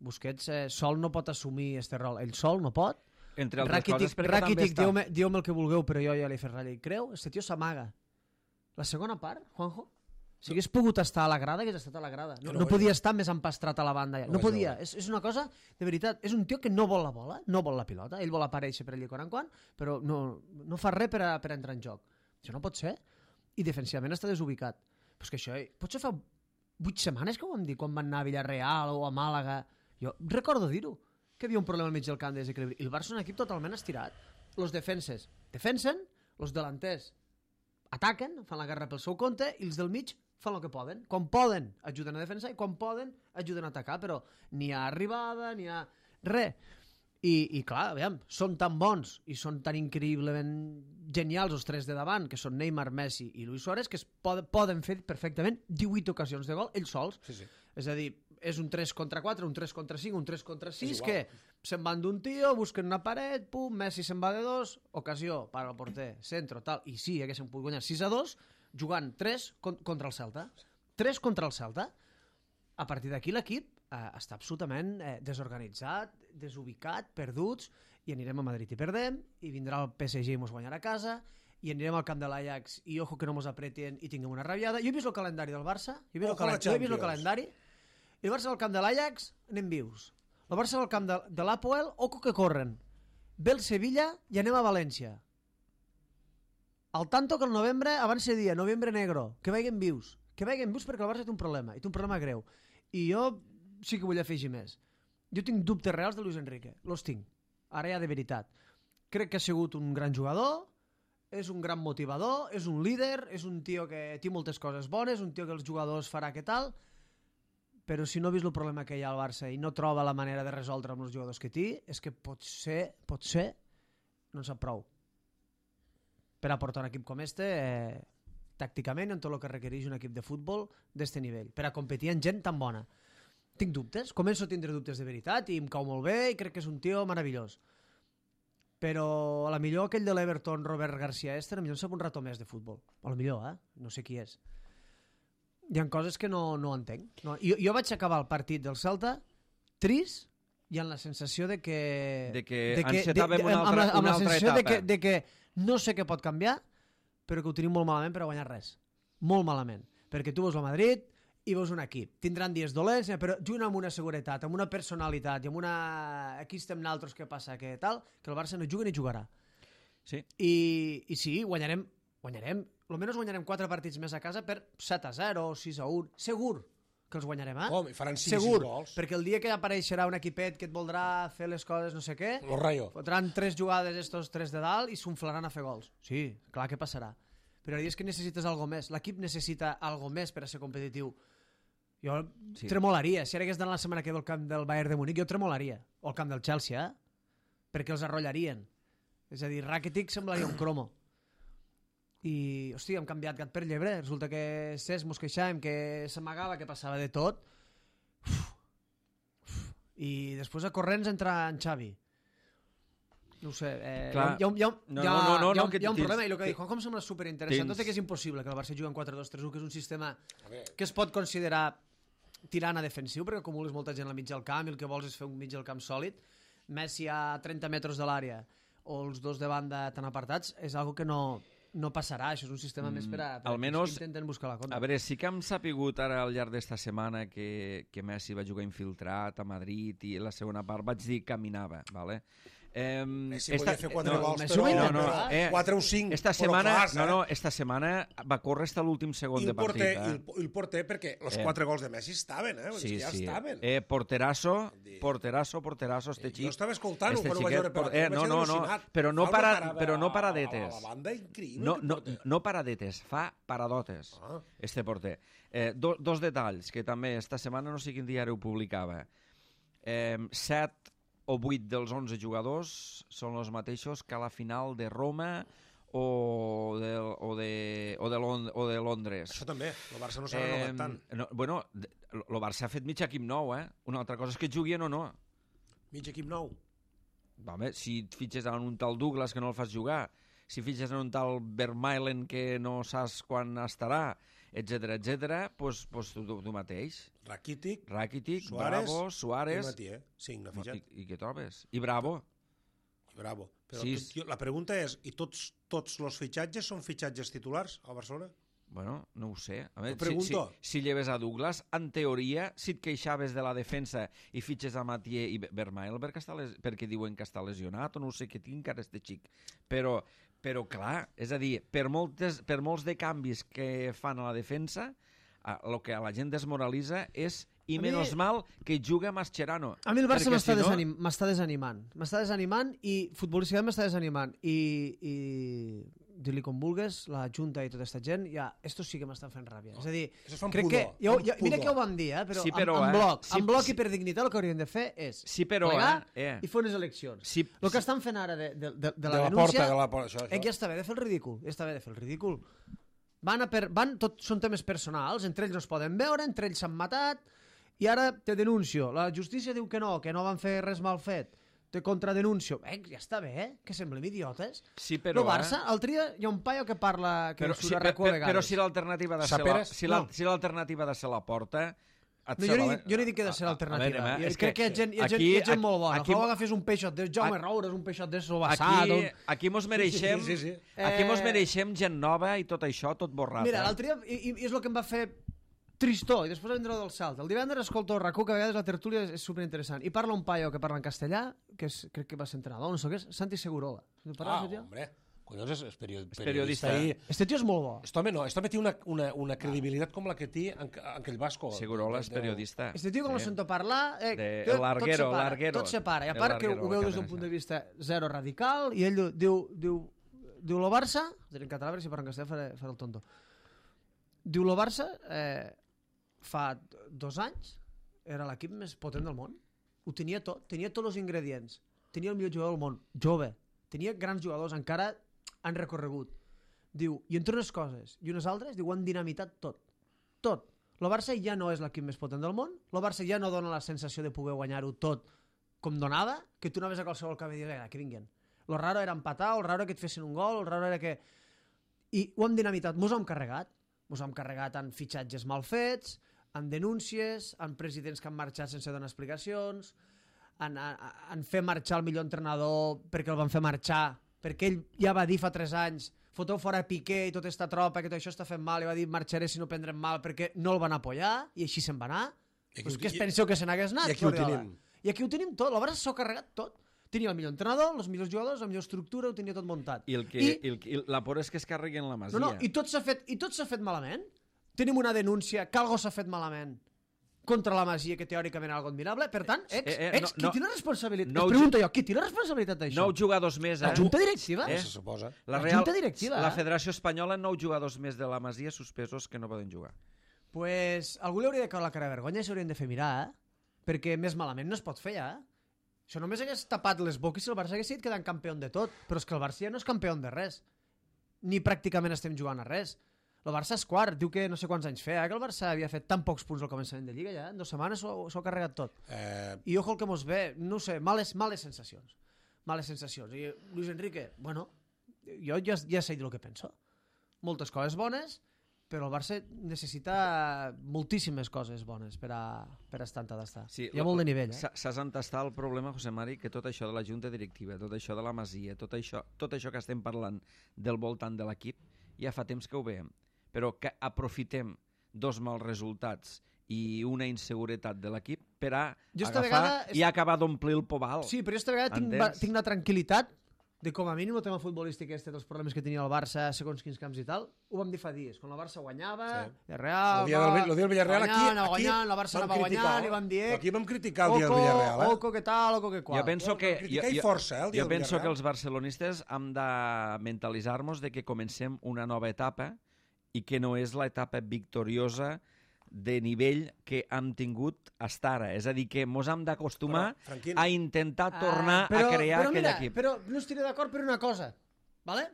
Busquets eh, sol no pot assumir este rol. Ell sol no pot. Entre altres Rakitic, coses, perquè Rakitic, també està... dieu-me dieu el que vulgueu, però jo ja li he fet ratlla i creu. Este tio s'amaga. La segona part, Juanjo, si hagués pogut estar a la grada, hagués estat a la grada. No, no, no podia estar més empastrat a la banda. Ja. No, no podia. És, és una cosa, de veritat, és un tio que no vol la bola, no vol la pilota. Ell vol aparèixer per allà quan en quan, però no, no fa res per, a, per entrar en joc. Això no pot ser. I defensivament està desubicat. Però és que això, potser fa vuit setmanes que ho vam dir, quan van anar a Villarreal o a Màlaga. Jo recordo dir-ho, que hi havia un problema al mig del camp de desequilibri. I el Barça és un equip totalment estirat. Los defenses defensen, los delanters ataquen, fan la guerra pel seu compte, i els del mig fan el que poden. Quan poden, ajuden a defensar, i quan poden, ajuden a atacar, però ni ha arribada, ni ha... res. I, i clar, aviam, són tan bons i són tan increïblement genials els tres de davant, que són Neymar, Messi i Luis Suárez, que es pod poden fer perfectament divuit ocasions de gol ells sols. Sí, sí. És a dir, és un tres contra quatre, un tres contra cinc, un tres contra sis, que se'n van d'un tio, busquen una paret, pum, Messi se'n va de dos, ocasió, para el porter, centro, tal, i sí, haguéssim pogut guanyar sis a dos, jugant tres contra el Celta. tres contra el Celta. A partir d'aquí l'equip eh, està absolutament eh, desorganitzat, desubicat, perduts, i anirem a Madrid i perdem, i vindrà el P S G i mos guanyarà a casa, i anirem al camp de l'Ajax i ojo que no mos apreten i tinguem una rabiada. Jo he vist el calendari del Barça, jo he vist, el, calen... jo he vist el calendari, i el Barça al camp de l'Ajax anem vius. El Barça al camp de, de l'Apoel, ojo que corren. Ve el Sevilla i anem a València. Al tanto que el novembre abans se dia, novembre negro, que vagin vius. Que vagin vius perquè el Barça té un problema, i té un problema greu. I jo sí que vull afegir més. Jo tinc dubtes reals de Luis Enrique, los tinc. Ara ja de veritat. Crec que ha sigut un gran jugador, és un gran motivador, és un líder, és un tio que té moltes coses bones, un tio que els jugadors farà que tal, però si no ha vist el problema que hi ha al Barça i no troba la manera de resoldre amb els jugadors que té, és que potser, potser no en sap prou per aportar un equip com este, eh, tàcticament, en tot el que requereix un equip de futbol d'este nivell, per a competir amb gent tan bona. Tinc dubtes, començo a tindre dubtes de veritat i em cau molt bé i crec que és un tio meravellós. Però a la millor aquell de l'Everton, Robert García Ester, a millor en sap un rato més de futbol. A la millor, eh? No sé qui és. Hi ha coses que no, no entenc. No, jo, jo vaig acabar el partit del Celta trist i amb la sensació de que... De que, de que encetàvem de, de, una altra, amb la, amb una la altra sensació etapa. de que, de que no sé què pot canviar, però que ho tenim molt malament per a guanyar res. Molt malament. Perquè tu veus el Madrid i veus un equip. Tindran dies dolents, però junt amb una seguretat, amb una personalitat i amb una... Aquí estem naltros, què passa, que tal, que el Barça no juga ni jugarà. Sí. I, i sí, guanyarem, guanyarem, almenys guanyarem quatre partits més a casa per set a zero, sis a un, segur que els guanyarem, eh? Com? I faran cinc segur, gols. perquè el dia que apareixerà un equipet que et voldrà fer les coses no sé què, Los Rayo. fotran tres jugades estos tres de dalt i s'unflaran a fer gols. Sí, clar que passarà. Però és que necessites algo més. L'equip necessita algo més per a ser competitiu. Jo sí. tremolaria. Si ara hagués d'anar la setmana que ve al camp del Bayern de Múnich, jo tremolaria. O al camp del Chelsea, eh? Perquè els arrollarien. És a dir, Rakitic semblaria un cromo. I, hòstia, hem canviat gat per llebre. Resulta que Cesc mos queixàvem, que s'amagava, que passava de tot. Uf. Uf. I després a corrents entra en Xavi. No ho sé, eh, Clar. hi ha, hi ha, No, hi ha, no, no, no, hi ha, no, que hi ha un tens- problema, i el que te- dic, com sembla superinteressant, tens- tot i que és impossible que el Barça jugui en quatre dos tres u, que és un sistema A veure, que es pot considerar tirant a defensiu, perquè acumules molta gent al mig del camp i el que vols és fer un mig del camp sòlid. Messi a trenta metres de l'àrea o els dos de banda tan apartats és algo que no, no passarà. Això és un sistema mm, més per a, per a almenys- que intenten buscar la contra. A veure, sí que hem sapigut ara al llarg d'esta setmana que, que Messi va jugar infiltrat a Madrid i la segona part vaig dir que caminava, ¿vale? Eh, Messi podia fer quatre no, gols, Messi però, ho va no, no, però eh, quatre o cinc, esta però setmana, clars, no, eh? no, esta setmana va córrer fins a l'últim segon I de el porter, partit. i Eh? el, i el porter perquè els Eh. quatre gols de Messi estaven, eh? Vull dir Sí, que ja sí. estaven. Eh, porterasso, porterasso, porterasso, este xic. Jo estava escoltant-ho este quan ho vaig xiquet, veure per por- la tele, eh, no, vaig no, quedar no, al·lucinat. però no Fa para- una parada però no a- paradetes. A la banda, increïble. No, aquest no, porter. no paradetes, fa paradotes, Ah. este porter. Eh, do, dos detalls, que també esta setmana no sé quin diari ho publicava. Eh, set o vuit dels onze jugadors són els mateixos que a la final de Roma o de, o de, o de, Lond o de Londres. Això també, el Barça no s'ha renovat tant. no, bueno, el Barça ha fet mig equip nou, eh? Una altra cosa és que juguin o no. Mig equip nou. Home, si et fitxes en un tal Douglas que no el fas jugar, si fitxes en un tal Vermaelen que no saps quan estarà, etcètera, etcètera, doncs pues, tu, tu, tu mateix. Rakitic, Rakitic, Suárez Bravo, i Suárez... Matié. Cinc, n'ha I, fitxat. I què trobes? I Bravo. Bravo. Però Sí. tu, tio, la pregunta és, i tots tots els fitxatges són fitxatges titulars al Barcelona? Bueno, no ho sé. A veure, Ho pregunto. Si, si, si lleves a Douglas, en teoria, si et queixaves de la defensa i fitxes a Matié i Vermael perquè, està les, perquè diuen que està lesionat o no sé què tinc ara este xic. Però, però clar, és a dir, per, moltes, per molts de canvis que fan a la defensa, el que a la gent desmoralitza és i A mi- menys mal que juga Mascherano. A mi el Barça perquè m'està si no- desanim desanimant. M'està desanimant i futbolísticament m'està desanimant. I, i dir-li com vulgues, la Junta i tota aquesta gent, ja, estos sí que m'estan fent ràbia. És a dir, Això es fa amb crec pudor, que... Jo, amb jo, mira pudor. que ho vam dir, eh? Però, Sí, però, en, en eh, bloc, sí, en bloc sí. i per dignitat el que haurien de fer és Sí, però, plegar eh, eh. i fer unes eleccions. Sí, el que sí. estan fent ara de, de, de, de la de la denúncia... porta, de la porta, això, Eh, això. ja està bé de fer el ridícul, ja està bé de fer el ridícul. Van a per, van, tot són temes personals, entre ells no es poden veure, entre ells s'han matat, i ara te denuncio. La justícia diu que no, que no van fer res mal fet. Te contradenuncio. Eh, ja està bé, eh? Que semblem idiotes. Sí, però... El Barça, l'altre dia hi ha un paio que parla... Que però, surt sí, a RAC u a però, vegades. però si l'alternativa de ser la, Saperes? si la, No. si l'alternativa de ser la porta... No, jo, no dic, jo no dic que ha de ser l'alternativa. A veure, Jo és crec que hi ha gent, hi ha gent, aquí- hi ha gent molt bona. aquí- Aquí, agafés un peixot de Jaume Aquí- Roures, un peixot de Sobassat... Aquí, Un... aquí mos mereixem, Sí, sí, sí, sí. aquí mos Eh, mereixem gent nova i tot això, tot borrat. Mira, eh? l'altre dia, i, i és el que em va fer tristor, i després vindrà del salt. El divendres escolto RAC u, que a vegades la tertúlia és, és superinteressant, i parla un paio que parla en castellà, que és, crec que va ser entrenador, no sé què és, Santi Segurola. Ah, Ah, hombre, collons, és, és, period, És periodista. I... este tio és molt bo. Este home no, este home té una, una, una credibilitat com la que té en, en aquell Vasco. Segurola és De- de- periodista. Este tio, quan Sí. lo sento parlar, eh, De tot, Larguero, tot separa, Larguero. tot separa. I a El part que Larguero, ho veu la des d'un cadena. punt de vista zero radical, i ell diu, diu, diu, diu lo Barça, ho diré en català, perquè si parlo en castellà faré, faré el tonto. Diu lo Barça, eh, fa dos anys, era l'equip més potent del món. Ho tenia tot, tenia tots els ingredients. Tenia el millor jugador del món, jove. Tenia grans jugadors, encara han recorregut. Diu, i entre unes coses i unes altres, diu, han dinamitat tot. Tot. El Barça ja no és l'equip més potent del món, el Barça ja no dona la sensació de poder guanyar-ho tot com donava, que tu anaves a qualsevol camp i digues, que vinguin. Lo raro era empatar, el raro era que et fessin un gol, el raro era que... I ho hem dinamitat, mos ho hem carregat. Mos ho hem carregat en fitxatges mal fets, en denúncies, en presidents que han marxat sense donar explicacions, en, en, en fer marxar el millor entrenador perquè el van fer marxar, perquè ell ja va dir fa tres anys foteu fora Piqué i tota esta tropa que tot això està fent mal, i va dir marxaré si no prendrem mal perquè no el van apoyar, i així se'n va anar. I aquí Pues ho- què es i- penseu que se n'hagués anat? i aquí ho Guardiola? tenim. I aquí ho tenim tot, la Barça s'ho ha carregat tot. Tenia el millor entrenador, els millors jugadors, la millor estructura, ho tenia tot muntat. I, el que, I, i, el, i la por és que es carreguen la masia. no, no, i tot s'ha fet, i tot s'ha fet malament. Tenim una denúncia que algo s'ha fet malament contra la masia, que teòricament és algo admirable. Per tant, ex, Eh, eh, ex, no, qui no. té la responsabilitat? No, Es pregunto jo, qui té la responsabilitat d'això? Nou jugadors més, eh? La junta directiva? Eh? Se suposa. La, La Real, junta directiva, la eh? Federació Espanyola, nou jugadors més de la masia suspesos que no poden jugar. Pues algú li hauria de caure la cara de vergonya i s'haurien de fer mirar, eh? Perquè més malament no es pot fer, eh? Això només hagués tapat les boques si el Barça hagués dit quedant campió de tot, però és que el Barça ja no és campió de res. Ni pràcticament estem jugant a res. El Barça és quart, diu que no sé quants anys feia, eh, que el Barça havia fet tan pocs punts al començament de Lliga ja, en dues setmanes s'ho s'ho ha carregat tot. Eh, I ojo el que mos ve, no ho sé, males, males sensacions. Males sensacions. I Luis Enrique, bueno, jo ja, ja sé dir el que penso. Moltes coses bones, però el Barça necessita moltíssimes coses bones per a, per a estar on ha d'estar. Sí, Hi ha molt de nivell, eh? S'ha s'ha d'entastar el problema, José Mari, que tot això de la junta directiva, tot això de la masia, tot això, tot això que estem parlant del voltant de l'equip, ja fa temps que ho veiem. Però que aprofitem dos mals resultats i una inseguretat de l'equip per a Jo esta agafar vegada- i acabar d'omplir el pobal. Sí, però jo esta vegada tinc, Entens? va- tinc una tranquil·litat de com a mínim el tema futbolístic este dels problemes que tenia el Barça segons quins camps i tal, ho vam dir fa dies, quan el Barça guanyava, Sí. el Real, el dia del, el dia del Villarreal aquí, guanyant, aquí guanyant, el Barça vam anava criticar, guanyant i vam dir, eh, aquí vam criticar el dia del Oco, Villarreal, eh? Oco, que tal, Oco, que qual. Jo penso Bueno, que, criticar jo, i jo, força, eh, el dia jo del penso que Villarreal. els barcelonistes hem de mentalitzar-nos de que comencem una nova etapa i que no és l'etapa victoriosa de nivell que hem tingut fins ara. És a dir, que mos hem d'acostumar Però, Franquín, a intentar tornar Ah, però, a crear però aquell mira, equip. Però no estiré d'acord per una cosa, ¿vale?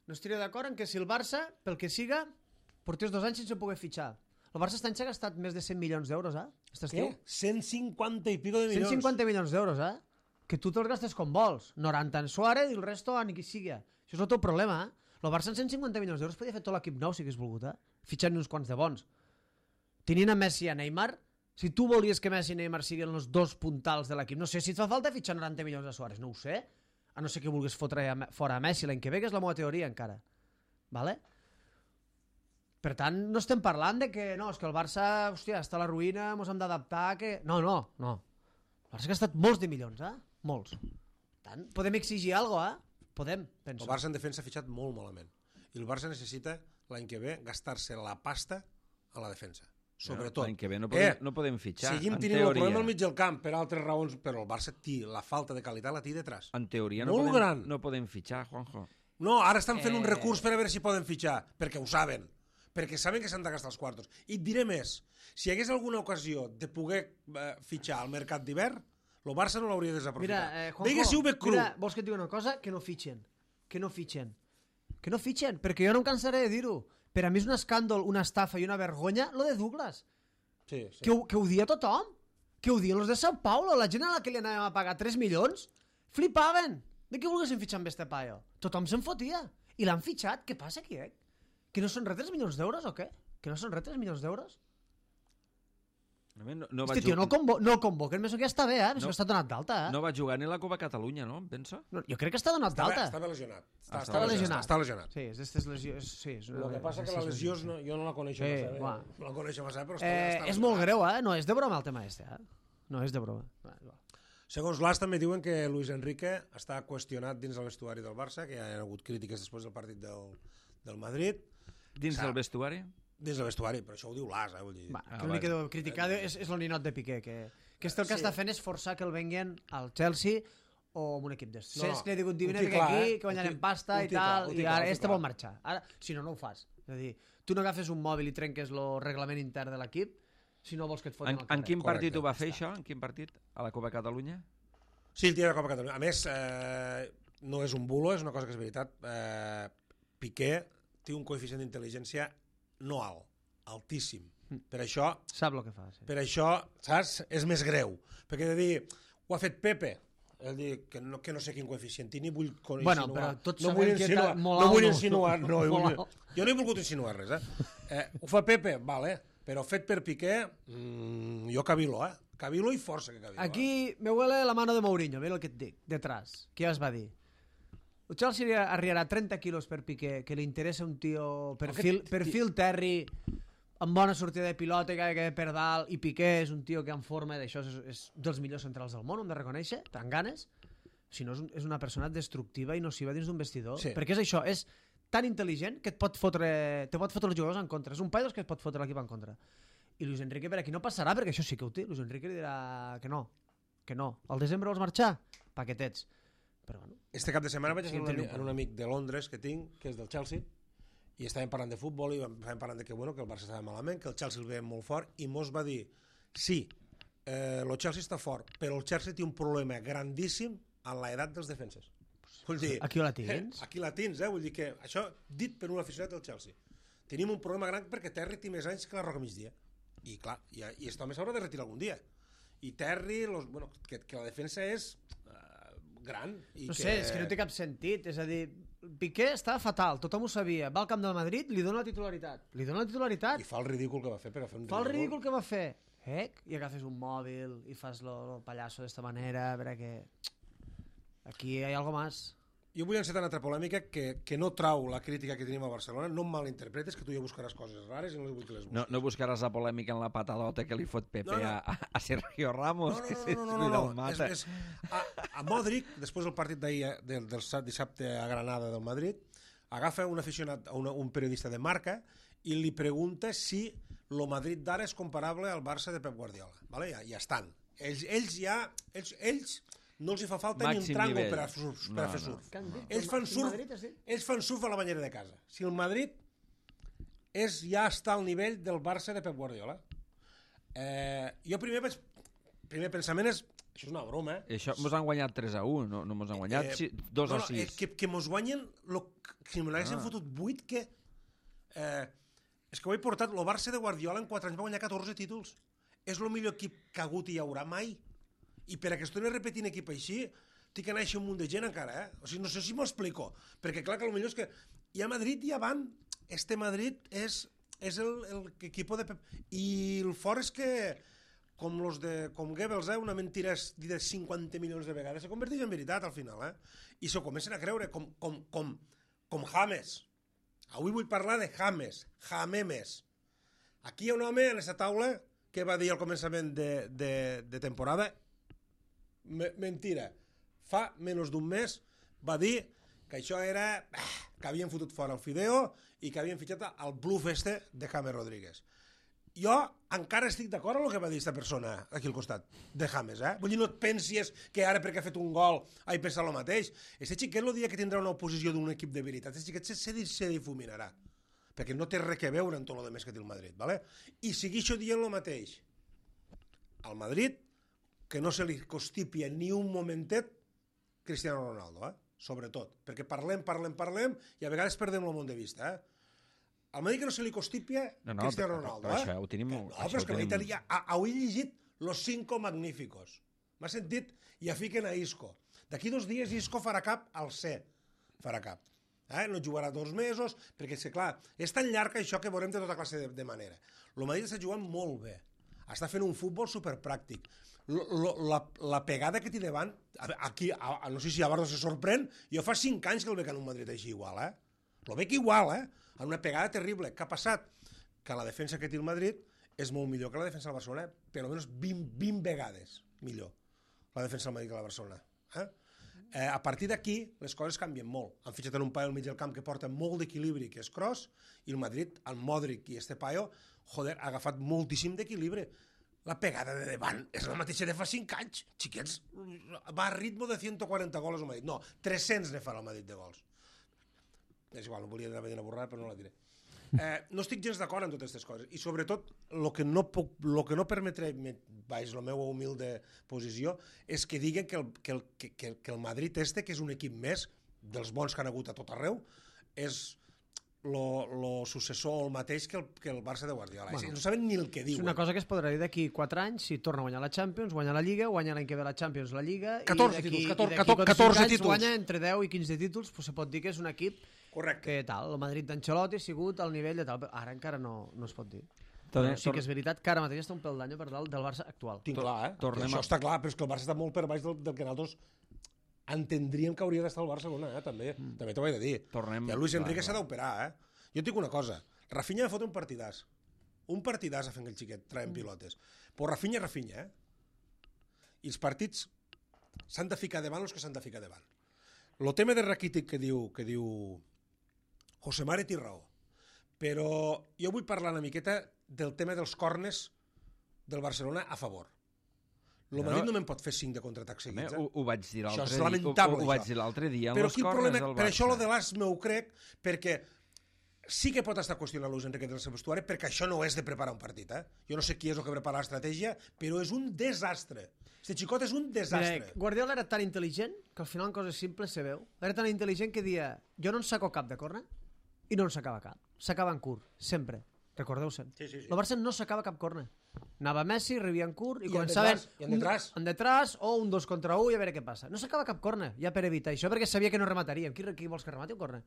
No estiré d'acord en que si el Barça, pel que siga, portés dos anys sense poder fitxar. El Barça està s'ha gastat més de cent milions d'euros, eh? Aquest estiu. Què? cent cinquanta i pico de milions. cent cinquanta milions d'euros, eh? Que tu te'ls gastes com vols. noranta en Suárez i el resto en qui sigui. Això és el teu problema, eh? El Barça en cent cinquanta milions d'euros podia fer tot l'equip nou si hagués volgut, eh? Fitxant uns quants de bons. Tenint a Messi i a Neymar, si tu volies que Messi i Neymar siguin els dos puntals de l'equip, no sé si et fa falta fitxar noranta milions de Suárez, no ho sé. A no ser que vulguis fotre a, fora a Messi l'any que ve, que és la meva teoria encara. Vale? Per tant, no estem parlant de que no, és que el Barça, hòstia, està a la ruïna, mos hem d'adaptar, que... No, no, no. El Barça ha gastat molts de milions, eh? Molts. Per tant, podem exigir alguna cosa, eh? Podem, penso. El Barça en defensa ha fitxat molt malament. I el Barça necessita, l'any que ve, gastar-se la pasta a la defensa. Sobretot. L'any que ve no podem, Eh, no podem fitxar, Seguim en tenint el teoria. problema al mig del camp per altres raons, però el Barça té la falta de qualitat la té detrás. En teoria no Molt podem, gran. no podem fitxar, Juanjo. No, ara estan fent Eh. un recurs per a veure si poden fitxar, perquè ho saben, perquè saben que s'han de gastar els quartos. I et diré més, si hi hagués alguna ocasió de poder eh, fitxar al mercat d'hivern, el Barça no l'hauria desaprofitat. Mira, eh, Juanjo, Vegue si ho ve cru. mira, vols que et digui una cosa? Que no fitxen. Que no fitxen. Que no fitxen, perquè jo no em cansaré de dir-ho. Per a mi és un escàndol, una estafa i una vergonya, lo de Douglas. Sí, sí. Que ho, que ho dia tothom. Que ho diuen els de São Paulo, la gent a la que li anàvem a pagar tres milions, flipaven. De què volguessin fitxar amb este paio? Tothom se'n fotia. I l'han fitxat. Què passa aquí, eh? Que no són res tres milions d'euros o què? Que no són res tres milions d'euros? No, no Este tio no el, convo no el convoquen, penso que ja està bé, eh? Penso no, que està donat d'alta, eh? No va jugar ni la Copa Catalunya, no? Em penso? No, jo crec que està donat Estava, d'alta. estava lesionat. Està, Estava lesionat. Està lesionat. Sí, és d'estes lesions... Sí, és El que passa que la lesió no, jo no la coneixo Sí, massa bé. va. No la coneixo massa bé, però està, Eh, està és molt greu, eh? No és de broma el tema este, eh? No és de broma. Va, va. Segons l'As també diuen que Luis Enrique està qüestionat dins el vestuari del Barça, que hi ha hagut crítiques després del partit del, del Madrid. Dins del vestuari? Dins del vestuari, però això ho diu l'As, eh? Vull dir. Va, Ah, que l'únic que vale. deu criticar és, és el ninot de Piqué, que, que este el que Sí. està fent és forçar que el venguen al Chelsea o amb un equip d'estos. No, No, que li diuen, ho vine té aquí, clar, eh? que guanyarem Ho té- pasta ho i té clar, tal, ho té i clar, ara ho té este clar. vol marxar. Ara, si no, no ho fas. És a dir, tu no agafes un mòbil i trenques el reglament intern de l'equip si no vols que et fotin En, al carrer. en quin Correcte, partit ho va fer, ja està. això? En quin partit? A la Copa Catalunya? Sí, el tio de la Copa Catalunya. A més, eh, no és un bulo, és una cosa que és veritat. Eh, Piqué té un coeficient d'intel·ligència no alt, altíssim. Per això, Sap el que fa, sí. per això, saps? És més greu. Perquè de dir, ho ha fet Pepe, és dir, que no, que no sé quin coeficient tinc, ni vull insinuar. Bueno, però tots no sabem vull que insinuar, tal- molt no alt vull no. insinuar, no, jo, Molt vull, alt. jo no he volgut insinuar res, eh? eh ho fa Pepe, vale, però fet per Piqué, mmm, jo cavilo, eh? Cavilo i força que cavilo. Eh? Aquí me huele la mano de Mourinho, mira el que et dic, detrás. Què es va dir? El Chelsea arribarà trenta quilos per Piqué, que li interessa un tio perfil, perfil Terry, amb bona sortida de pilota, que que per dalt, i Piqué és un tio que en forma d'això és, és dels millors centrals del món, hem de reconèixer, tan ganes. Si no, és, un, és una persona destructiva i nociva dins d'un vestidor. Sí. Perquè és això, és tan intel·ligent que et pot fotre, te pot fotre els jugadors en contra. És un paio que et pot fotre l'equip en contra. I Luis Enrique per aquí no passarà, perquè això sí que ho té. Luis Enrique li dirà que no, que no. Al desembre vols marxar? Paquetets. Però bueno, Este cap de setmana vaig Sí, estar tenim amb un, un un amic de Londres que tinc, que és del Chelsea, i estàvem parlant de futbol i estàvem parlant de que, bueno, que el Barça estava malament, que el Chelsea el veiem molt fort, i mos va dir, sí, eh, el Chelsea està fort, però el Chelsea té un problema grandíssim en l'edat dels defenses. Vull dir, aquí la tens. Eh, aquí la tens, eh? Vull dir que això, dit per un aficionat del Chelsea, tenim un problema gran perquè Terry té més anys que la Roca Migdia. I clar, i, i aquest home s'haurà de retirar algun dia. I Terry, los, bueno, que, que la defensa és uh, gran. I No que... sé, és que no té cap sentit. És a dir, Piqué estava fatal, tothom ho sabia. Va al camp del Madrid, li dona la titularitat. Li dona la titularitat. I fa el ridícul que va fer per a fer un Fa el ridícul que va fer. Eh? I agafes un mòbil i fas lo, lo pallasso d'esta manera, perquè aquí hi ha algo más. Jo vull encetar una altra polèmica que, que no trau la crítica que tenim a Barcelona. No em malinterpretes, que tu ja buscaràs coses rares i no les vull que les busquis. No, no buscaràs la polèmica en la patadota que li fot Pepe No, no. A, a Sergio Ramos, No, que no, se no, no, no, cuida no, el no. mata. És, és, a, a Modric, després del partit d'ahir, del, del dissabte a Granada del Madrid, agafa un aficionat, una, un periodista de Marca, i li pregunta si el Madrid d'ara és comparable al Barça de Pep Guardiola. Vale? Ja, ja estan. Ells, ells ja... Ells, ells no els hi fa falta Màxim ni un tràngol nivell. per a, surf, per a No, fer no. surf. Què han dit? Ells fan El surf, Madrid, has dit? ells fan surf a la banyera de casa. Si el Madrid és, ja està al nivell del Barça de Pep Guardiola. Eh, jo primer vaig... Primer pensament és... Això és una broma, eh? Això mos han guanyat tres a u, no, no mos han guanyat Eh, si- dos no, a no, eh, sis. que, que mos guanyen lo, si me l'haguessin Ah. fotut vuit, que eh, és que ho he portat el Barça de Guardiola en quatre anys va guanyar catorze títols. És el millor equip que ha hagut i hi haurà mai, i per a que es torni repetint equip així té que néixer un munt de gent encara, eh? O sigui, no sé si m'ho explico, perquè clar que el millor és que hi ha Madrid i avant este Madrid és, és el, el equipo de Pep, i el fort és que com los de com Goebbels, eh? Una mentira és dita cinquanta milions de vegades, se converteix en veritat al final, eh? I s'ho comencen a creure, com, com, com, com James. Avui vull parlar de James, Jamemes. Aquí hi ha un home en aquesta taula que va dir al començament de, de, de temporada, me, mentira, fa menys d'un mes va dir que això era que havien fotut fora el Fideo i que havien fitxat el bluff este de James Rodríguez. Jo encara estic d'acord amb el que va dir aquesta persona aquí al costat de James, eh? Vull dir, no et pensis que ara perquè ha fet un gol ha pensat el mateix. Este xiquet el dia que tindrà una oposició d'un equip de veritat, este xiquet se, se, se difuminarà, perquè no té res a veure amb tot el més que té el Madrid, ¿vale? I seguixo dient el mateix. Al Madrid, que no se li constipia ni un momentet Cristiano Ronaldo, eh? Sobretot, perquè parlem, parlem, parlem i a vegades perdem el món de vista, eh? Al Madrid que no se li constipia No, no, Cristiano però- Ronaldo, però eh? això ho tenim- no, això però ho és que tenim- tenim... ja, ho he llegit los cinco magníficos. M'ha sentit? I ja fiquen a Isco. D'aquí dos dies Isco farà cap al C. Farà cap. Eh? No jugarà dos mesos, perquè, és que, clar, és tan llarg això que veurem de tota classe de, de manera. El Madrid està jugant molt bé. Està fent un futbol superpràctic. Lo, lo, la, la pegada que té davant, aquí, a, a, no sé si a Barça se sorprèn, jo fa cinc anys que el veig en un Madrid així igual, eh? Lo veig igual, eh? En una pegada terrible. Què ha passat? Que la defensa que té el Madrid és molt millor que la defensa del Barcelona, per almenys vint, vint vegades millor la defensa del Madrid que la Barcelona. Eh? Eh, a partir d'aquí les coses canvien molt. Han fitxat en un paio al mig del camp que porta molt d'equilibri, que és Kroos, i el Madrid, el Modric i este paio, joder, ha agafat moltíssim d'equilibri. La pegada de davant és la mateixa de fa cinc anys. Xiquets, va a ritmo de cent quaranta gols al Madrid. No, tres-cents ne farà el Madrid de gols. És igual, no volia anar a borrar, però no la diré. Eh, no estic gens d'acord amb totes aquestes coses i sobretot el que no, puc, lo que no permetré, vaig, la meva humilde posició, és que diguen que el, que el, que, que el Madrid este, que és un equip més dels bons que han hagut a tot arreu, és lo, lo successor o el mateix que el, que el Barça de Guardiola. Bueno, no saben ni el que diuen. És una cosa que es podrà dir d'aquí quatre anys si torna a guanyar la Champions, guanya la Lliga, guanya l'any que ve la Champions, la Lliga, catorze i títols, d'aquí catorze, catorze anys títols. guanya entre deu i quinze títols, pues se pot dir que és un equip correcte. Que tal, el Madrid d'Ancelotti ha sigut al nivell de tal, però ara encara no, no es pot dir. Tornem, Però sí que és veritat que ara mateix està un pèl d'any per dalt del Barça actual. Tinc clar, eh? Tornem Això a- està clar, però és que el Barça està molt per baix del, del que nosaltres entendríem que hauria d'estar el Barcelona, eh? També, mm. també t'ho vaig de dir. Tornem- I el Luis Enrique clar, s'ha d'operar, eh? Jo et dic una cosa, Rafinha fot un partidàs. Un partidàs a fent el xiquet, traient mm. pilotes. Però Rafinha, Rafinha, eh? I els partits s'han de ficar davant els que s'han de ficar davant. El tema de Rakitic que diu, que diu José Mare té raó, però jo vull parlar una miqueta del tema dels corners del Barcelona a favor. El Madrid no me'n pot fer cinc de contraatac seguits. Ho, ho vaig dir Això l'altre és dia. lamentable, Ho, ho vaig això. dir l'altre dia en Però els quin corners problema, del per això lo Barça. de l'As m'ho crec, perquè sí que pot estar qüestionant Luis Enrique del seu vestuari, perquè això no és de preparar un partit, eh? Jo no sé qui és el que prepara l'estratègia, però és un desastre. Este xicot és un desastre. Mira, Guardiola era tan intel·ligent que al final en coses simples se veu. Era tan intel·ligent que dia jo no en saco cap de corna i no en sacava cap. S'acaba en curt, sempre. Recordeu-se'n. Sí, sí, sí. El Barça no sacava cap corna. Anava Messi, rebia en curt i, I en començaven detrás, i en detrás. Un, en detrás o un dos contra un i a veure què passa. No sacava cap corna, ja per evitar això, perquè sabia que no remataríem. Qui, qui vols que remati un corna?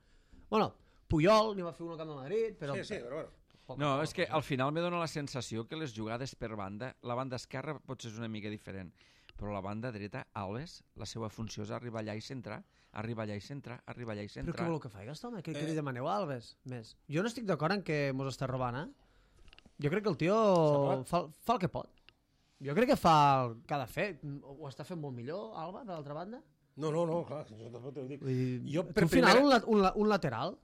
Bueno, Puyol n'hi va fer un al camp de Madrid, però... Sí, sí, però bueno. No, és que al final me dóna la sensació que les jugades per banda, la banda esquerra potser és una mica diferent, però la banda dreta, Alves, la seva funció és arribar allà i centrar, arribar allà i centrar, arribar allà i centrar. Però què voleu que faci, Gastó, home? Què, què li demaneu a Alves? Més. Jo no estic d'acord en que mos està robant, eh? Jo crec que el tio fa, fa el que pot. Jo crec que fa el que ha de fer. Ho està fent molt millor, Alba, per l'altra banda? No, no, no, clar, això també t'ho dic. Vull dir, Jo, tu per al final, primera... un, la- un, la- un lateral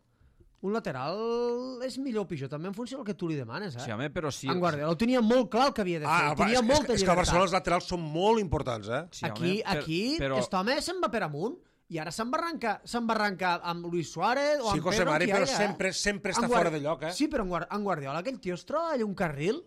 un lateral és millor o pitjor, també en funció del que tu li demanes, eh? Sí, home, però sí... En Guardiola ho tenia molt clar el que havia de fer, Ah, va, tenia és, molta és, és que al llibertat. Barcelona els laterals són molt importants, eh? Sí, home, aquí, per- aquí però- aquest home se'n va per amunt i ara se'n va arrencar, se'n va arrencar amb Luis Suárez o Sí, amb José Pedro, Mari, amb qui però hagi, sempre, eh? sempre En està Guard- fora de lloc, eh? Sí, però en, Guard en Guardiola aquell tio es troba allà un carril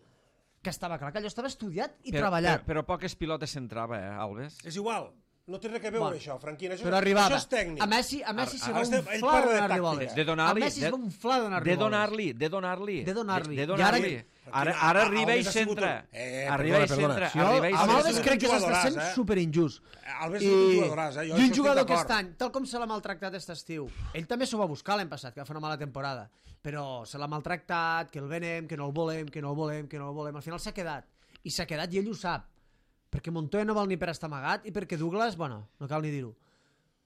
que estava clar que allò estava estudiat i però, treballat. Però, però poques pilotes centrava, eh, Alves? És igual. No té res a veure Bueno, això, Franquina. Això, Però arribava. això és tècnic. A Messi, a Messi Ara- se ara va estem- un ell fla parla de donar-li tàctica. boles. De donar-li... A Messi es va un fla donar-li De boles. donar-li, de donar-li. De donar-li. De I ara- donar-li. Franquina, Ara, ara a- arriba i Alves ha sigut centra. un- Eh, Arriba perdona, i perdona. centra. Si jo, Arriba i amb Alves Alves és un crec que s'està jugadoràs, sent eh? superinjust. Alves I, és un jugadoràs, eh? Jo I això un estic jugador d'acord. aquest any, tal com se l'ha maltractat aquest estiu, ell també s'ho va buscar l'any passat, que va fer una mala temporada, però se l'ha maltractat, que el venem, que no el volem, que no el volem, que no el volem. Al final s'ha quedat. I s'ha quedat i ell ho sap. Perquè Montoya no val ni per estar amagat i perquè Douglas, bueno, no cal ni dir-ho.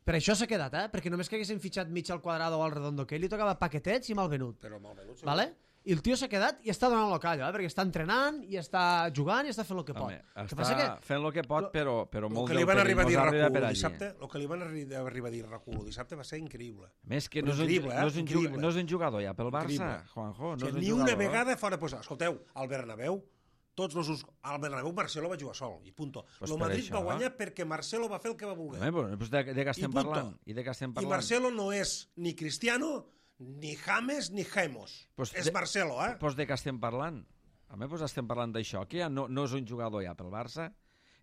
Per això s'ha quedat, eh? Perquè només que haguessin fitxat mig al quadrado o al redondo, que ell li tocava paquetets i malvenut. Però malvenut, sí. Vale? I el tio s'ha quedat i està donant el callo, eh? Perquè està entrenant i està jugant i està fent el que pot. Home, El que està passa que fent el que pot, però, però El molt que li del van arribar a dir perillós arriba Raculo per allí. dissabte, el que li van arri- arribar a dir Raculo dissabte va ser increïble. A més que Però no és, un, increïble, eh? no, és un, Increïble. jugador, no és un jugador ja pel Barça, Increïble. Juanjo. O No és sigui, un ni jugador. una vegada fora posar. Escolteu, al Bernabéu, tots los... us- al Bernabéu Marcelo va jugar sol, i punto. Pues el per Madrid això. va guanyar perquè Marcelo va fer el que va voler. Home, però, doncs de, de què estem I punto. parlant? I de què estem I parlant? Marcelo no és ni Cristiano, ni James, ni Gemos. Pues és de- Marcelo, eh? Doncs de què estem parlant? Home, doncs estem parlant d'això, que ja no, no és un jugador ja pel Barça.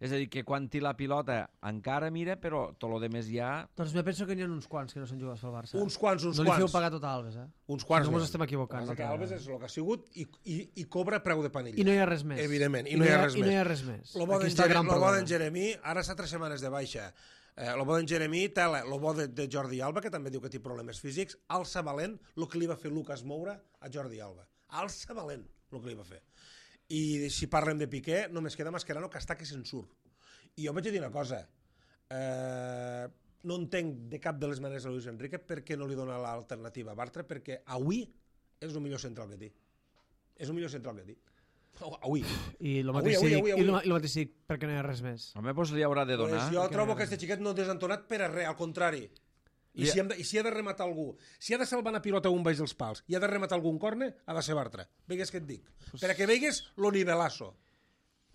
És a dir, que quan té la pilota encara mira, però tot el més ja... Doncs me penso que n'hi ha uns quants que no s'han jugat pel Barça. Uns quants, uns no quants. No li feu pagar tot a Alves, eh? Uns quants. No No ens estem equivocant. El que Alves és el que ha sigut i, i, i cobra preu de panilla. I no hi ha res més. Evidentment, i, I no hi ha res I més. no hi ha res més. Lo bo d'en Jeremí, lo bo d'en Jeremí, ara està tres setmanes de baixa. Eh, lo bo d'en Jeremí, tela, lo bo de, de Jordi Alba, que també diu que té problemes físics, alça valent el que li va fer Lucas Moura a Jordi Alba. Alça valent el que li va fer. I si parlem de Piqué, només queda Mascherano, que està que se'n surt. I jo vaig dir una cosa, eh, no entenc de cap de les maneres a Luis Enrique per què no li dona l'alternativa a Bartra, perquè avui és el millor central que té. És el millor central que té. Avui. I el Avui, mateix avui, dic, avui, i el avui. el mateix dic, perquè no hi ha res més. Home, doncs li haurà de donar. Pues jo trobo que aquest xiquet no és desentonat per a res, al contrari. I, si hem de, I si ha de rematar algú, si ha de salvar una pilota un baix dels pals i ha de rematar algun corne, ha de ser Bartra. Veigues què et dic. Per a que veigues lo nivelazo.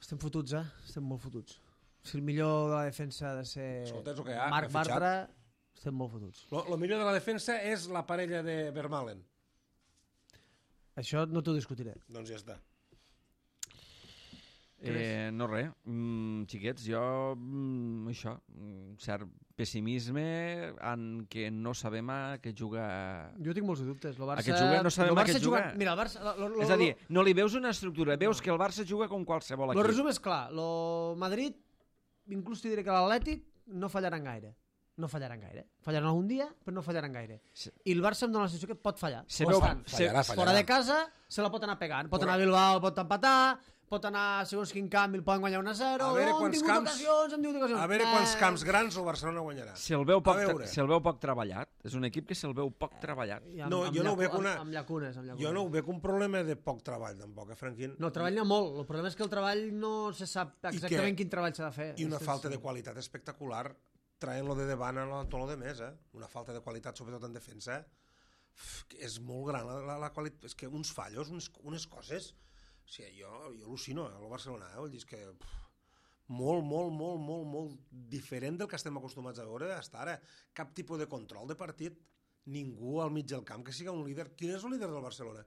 Estem fotuts, eh? Estem molt fotuts. Si el millor de la defensa ha de ser Escolta, és el que hi ha, Marc que ha fitxat. Bartra, estem molt fotuts. Lo, lo millor de la defensa és la parella de Vermaelen. Això no t'ho discutiré. Doncs ja està. Eh, no res, mm, xiquets, jo mm, això, un cert pessimisme en què no sabem a què juga. Jo tinc molts dubtes. Lo Barça, A què juga no sabem lo a Barça què juga. Mira, el Barça... Lo, lo, És a dir, no li veus una estructura, veus que el Barça juga com qualsevol El equip. resum és clar. Lo Madrid, inclús t'hi diré que l'Atlètic no fallaran gaire. No fallaran gaire. Fallaran algun dia, però no fallaran gaire. Sí. I el Barça em dona la sensació que pot fallar. Se Pot veu- estar. se- Fallarà, fallarà. Fora de casa se la pot anar pegant. Pot Correcte. anar a Bilbao, pot empatar, pot anar a segons quin camp i el poden guanyar un a zero. A veure no, quants hem tingut camps- ocasions, hem tingut ocasions. A veure Eh, quants camps grans el Barcelona guanyarà. Se'l veu, poc, A veure. se veu poc treballat. És un equip que se'l veu poc treballat. i amb- No, amb jo no ho llacu- veig una- Amb, amb llacunes, amb llacunes. Jo no ho veig un problema de poc treball, tampoc, eh, Franquín? No, treball n'hi ha molt. El problema és que el treball no se sap exactament quin treball s'ha de fer. I una És- falta és- de qualitat espectacular traient-lo de davant a tot el de més, eh? Una falta de qualitat, sobretot en defensa, uf, que és molt gran la, la, la qualitat. És que uns fallos, uns, unes coses... O sigui, jo, jo al·lucino, eh, el Barcelona, eh? Vull dir, és que... Pff, molt, molt, molt, molt, molt diferent del que estem acostumats a veure hasta ara. Cap tipus de control de partit. Ningú al mig del camp que siga un líder. Qui és el líder del Barcelona?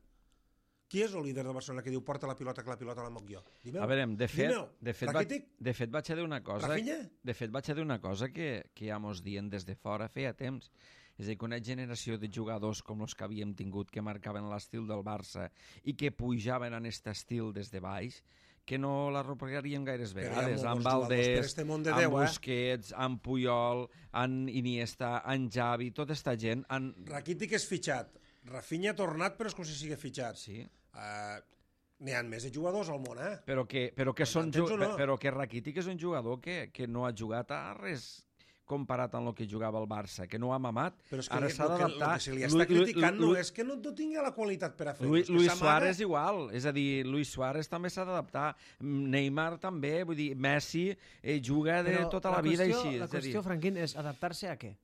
Qui és el líder del Barcelona que diu porta la pilota, que la pilota la moc jo? Dime-ho. A veure, de fet, Dime-ho. de fet, vaig, Rakitic? de fet vaig a dir una cosa, Rafinha? de fet vaig a dir una cosa que, que ja mos dient des de fora feia temps. És a dir, que una generació de jugadors com els que havíem tingut, que marcaven l'estil del Barça i que pujaven en aquest estil des de baix, que no la replicaríem gaires Però hi ha vegades. molts Amb jugadors per Valdés, este món de amb Déu, eh? Busquets, amb Puyol, amb Iniesta, amb Xavi, tota esta gent... En... Rakitic és fitxat. Rafinha ha tornat, però és com si sigui fitxat. Sí, Uh, N'hi ha més de jugadors al món, eh? però que, però que, són, M'entens ju- o no? però que Rakitic és un jugador que, que no ha jugat a res comparat amb el que jugava el Barça, que no ha mamat. Però és que Ara li- s'ha el que, el d'adaptar. que se li està Lu- Lu- criticant Lu- no és que no, no tingui la qualitat per a fer-ho. Luis, és que Luis s'amaga. Suárez igual, és a dir, Luis Suárez també s'ha d'adaptar, Neymar també, vull dir, Messi eh, juga de Però tota la, vida qüestió, així. La és a dir, qüestió, Franquín, és adaptar-se a què?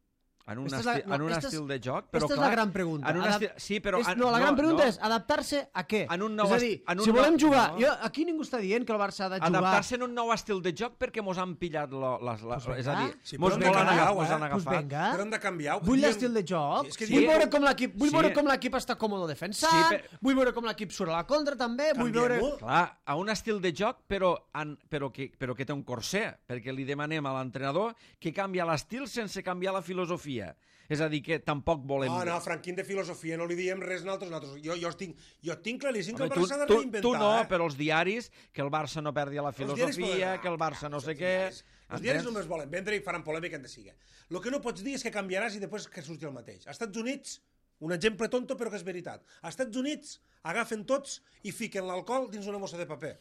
en un, Esta és esti la- no, en un esta és- estil de joc, però Esta és clar... la gran pregunta. En un Adap- estil, sí, però... és, en- no, la gran pregunta no. és adaptar-se a què? En un nou és a est- dir, en un si nou- volem jugar... no. Jo, aquí ningú està dient que el Barça ha de jugar... Adaptar-se en un nou estil de joc perquè mos han pillat lo, les, les, Pues és a dir, Sí, mos però hem de volen canviar, agafar, eh? mos han Pues agafat. venga. Però hem de canviar. Vull Diem- l'estil de joc, Sí, és que vull, diem- veure com l'equip, vull Sí. veure com l'equip està còmode defensant, Sí, però- vull veure com l'equip surt a la contra també, vull veure... Canviem-ho. Clar, a un estil de joc, però, en, però, que, però que té un corser, perquè li demanem a l'entrenador que canvia l'estil sense canviar la filosofia. És a dir, que tampoc volem... No, no, Franquín, de filosofia no li diem res nosaltres. nosaltres. Jo, jo, tinc, jo tinc claríssim que Home, el tu, Barça s'ha de tu, reinventar. tu no, eh? però els diaris, que el Barça no perdi la Els diaris filosofia, poden- que el Barça no Els sé què... diaris- Els diaris Entens? només volen vendre i faran polèmica en de siga. El que no pots dir és que canviaràs i després que surti el mateix. Als Estats Units, un exemple tonto però que és veritat. Als Estats Units agafen tots i fiquen l'alcohol dins una bossa de paper.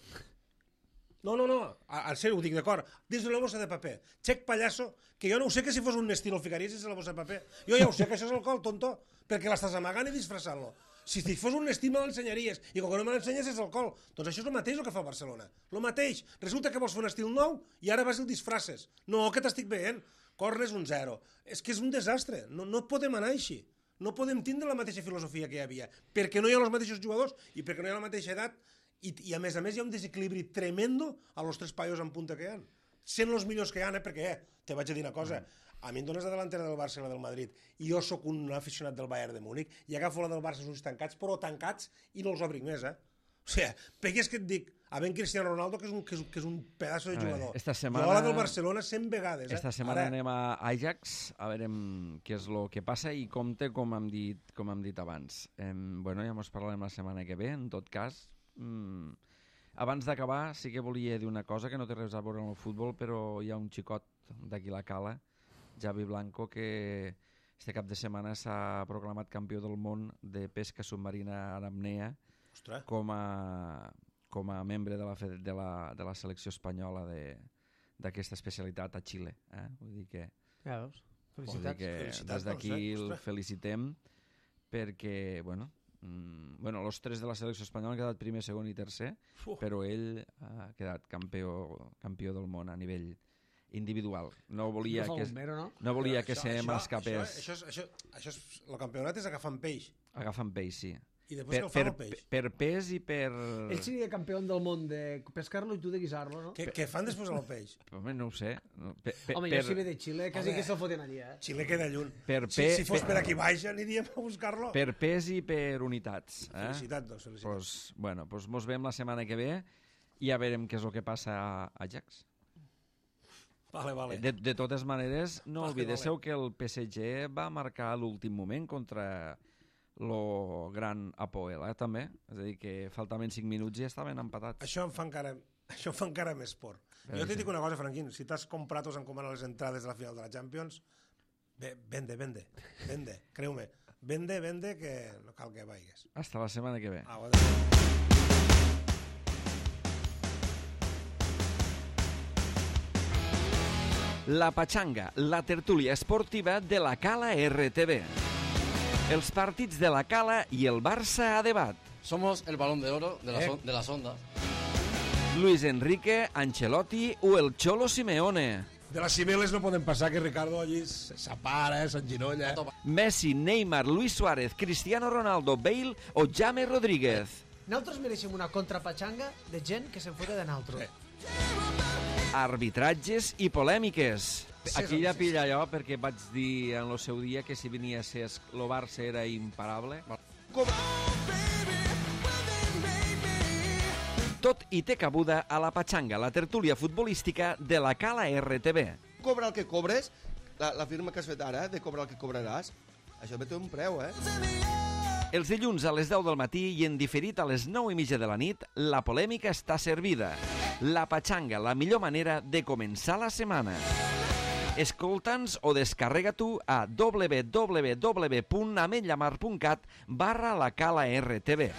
No, no, no, a- en sèrio ho dic, d'acord, dins d'una bossa de paper. Xec pallasso, que jo no ho sé que si fos un estil el ficaries dins de la bossa de paper. Jo ja ho sé que això és alcohol, tonto, perquè l'estàs amagant i disfressant-lo. Si si fos un estil me l'ensenyaries, i com que no me l'ensenyes és alcohol. Doncs això és el mateix el que fa el Barcelona. El mateix. Resulta que vols fer un estil nou i ara vas i el disfresses. No, que t'estic veient. Cornes un zero. És que és un desastre. No, no podem anar així. No podem tindre la mateixa filosofia que hi havia, perquè no hi ha els mateixos jugadors i perquè no hi ha la mateixa edat i, i a més a més hi ha un desequilibri tremendo a los tres paios en punta que hi ha. Sent els millors que hi ha, eh? Perquè, eh, te vaig a dir una cosa, a mi em dones la delantera del Barça i la del Madrid i jo sóc un aficionat del Bayern de Múnich i agafo la del Barça els ulls tancats, però tancats i no els obric més, eh? O sigui, pegues que et dic, havent Cristiano Ronaldo, que és un, que és, que és un pedaço de A veure, jugador. esta setmana- Jo a la del Barcelona cent vegades. Eh? Esta setmana Ara, anem a Ajax a veure què és el que passa i compte, com hem dit, com hem dit abans. Em, bueno, ja mos parlarem la setmana que ve, en tot cas. Mm, abans d'acabar, sí que volia dir una cosa que no té res a veure amb el futbol, però hi ha un xicot d'aquí la Cala, Javi Blanco, que este cap de setmana s'ha proclamat campió del món de pesca submarina en apnea ostres, com a, com a membre de la, fe- de la, de la selecció espanyola de- d'aquesta especialitat a Xile. Eh? Vull dir que, Ja veus? vull dir Felicitats. que Felicitats, des d'aquí doncs, eh? el Ostres. felicitem perquè, bueno, mm, bueno, els tres de la selecció espanyola han quedat primer, segon i tercer, Uf. però ell ha quedat campió, campió del món a nivell individual. No volia No fa que, bombero, no? no volia Però que això- se això- m'escapés. Això, això, això, això, és, el campionat és agafant peix. Agafant peix, sí. I després Per, que el per, fan el peix. per pes i per... Ell seria campió del món de pescar-lo i tu de guisar-lo, no? Què, què fan després amb el peix? Home, no ho sé. No, Per, per, Home, per, jo si ve de Xile, quasi Home. que se'l foten allí, eh? Xile queda lluny. Per si, pe- si fos pe- per aquí baix aniríem a buscar-lo. per pes i per unitats. Eh? Felicitats, doncs, felicitats. Pues, bueno, pues mos veiem la setmana que ve i ja veurem què és el que passa a Ajax. Vale, vale. De, de totes maneres, no Vale, oblideu que el P S G va marcar a l'últim moment contra lo gran Apoel, eh, també. És a dir, que faltaven cinc minuts i estaven empatats. Això em fa encara, això em fa encara més por. Veure Jo t'hi si- dic una cosa, Franquín, si t'has comprat o s'han comprat les entrades de la final de la Champions, ve, vende, vende, vende, creu-me. Vende, vende, que no cal que vagis. Hasta la setmana que ve. Au, La Pachanga, la tertúlia esportiva de la Cala R T V. Els partits de la Cala i el Barça a debat. Somos el balón de oro de, las Eh. on- de las ondas. Luis Enrique, Ancelotti o el Cholo Simeone. De les cimeles no poden passar que Ricardo allí s'apara, s'enginolla. Messi, Neymar, Luis Suárez, Cristiano Ronaldo, Bale o James Rodríguez. Nosaltres mereixem una contrapatxanga de gent que se'n fote de nosaltres. Arbitratges i polèmiques. Aquí ja pilla allò perquè vaig dir en el seu dia que si venia a ser el Barça era imparable. Tot hi té cabuda a la Pachanga, la tertúlia futbolística de la Cala R T V. Cobra el que cobres, la, la firma que has fet ara, de cobrar el que cobraràs, això té un preu, eh? Els dilluns a les deu del matí i en diferit a les nou i mitja de la nit, la polèmica està servida. La Pachanga, la millor manera de començar la setmana. Escolta'ns o descarrega tu a w w w punt ametlllamar punt cat barra la Cala R T V.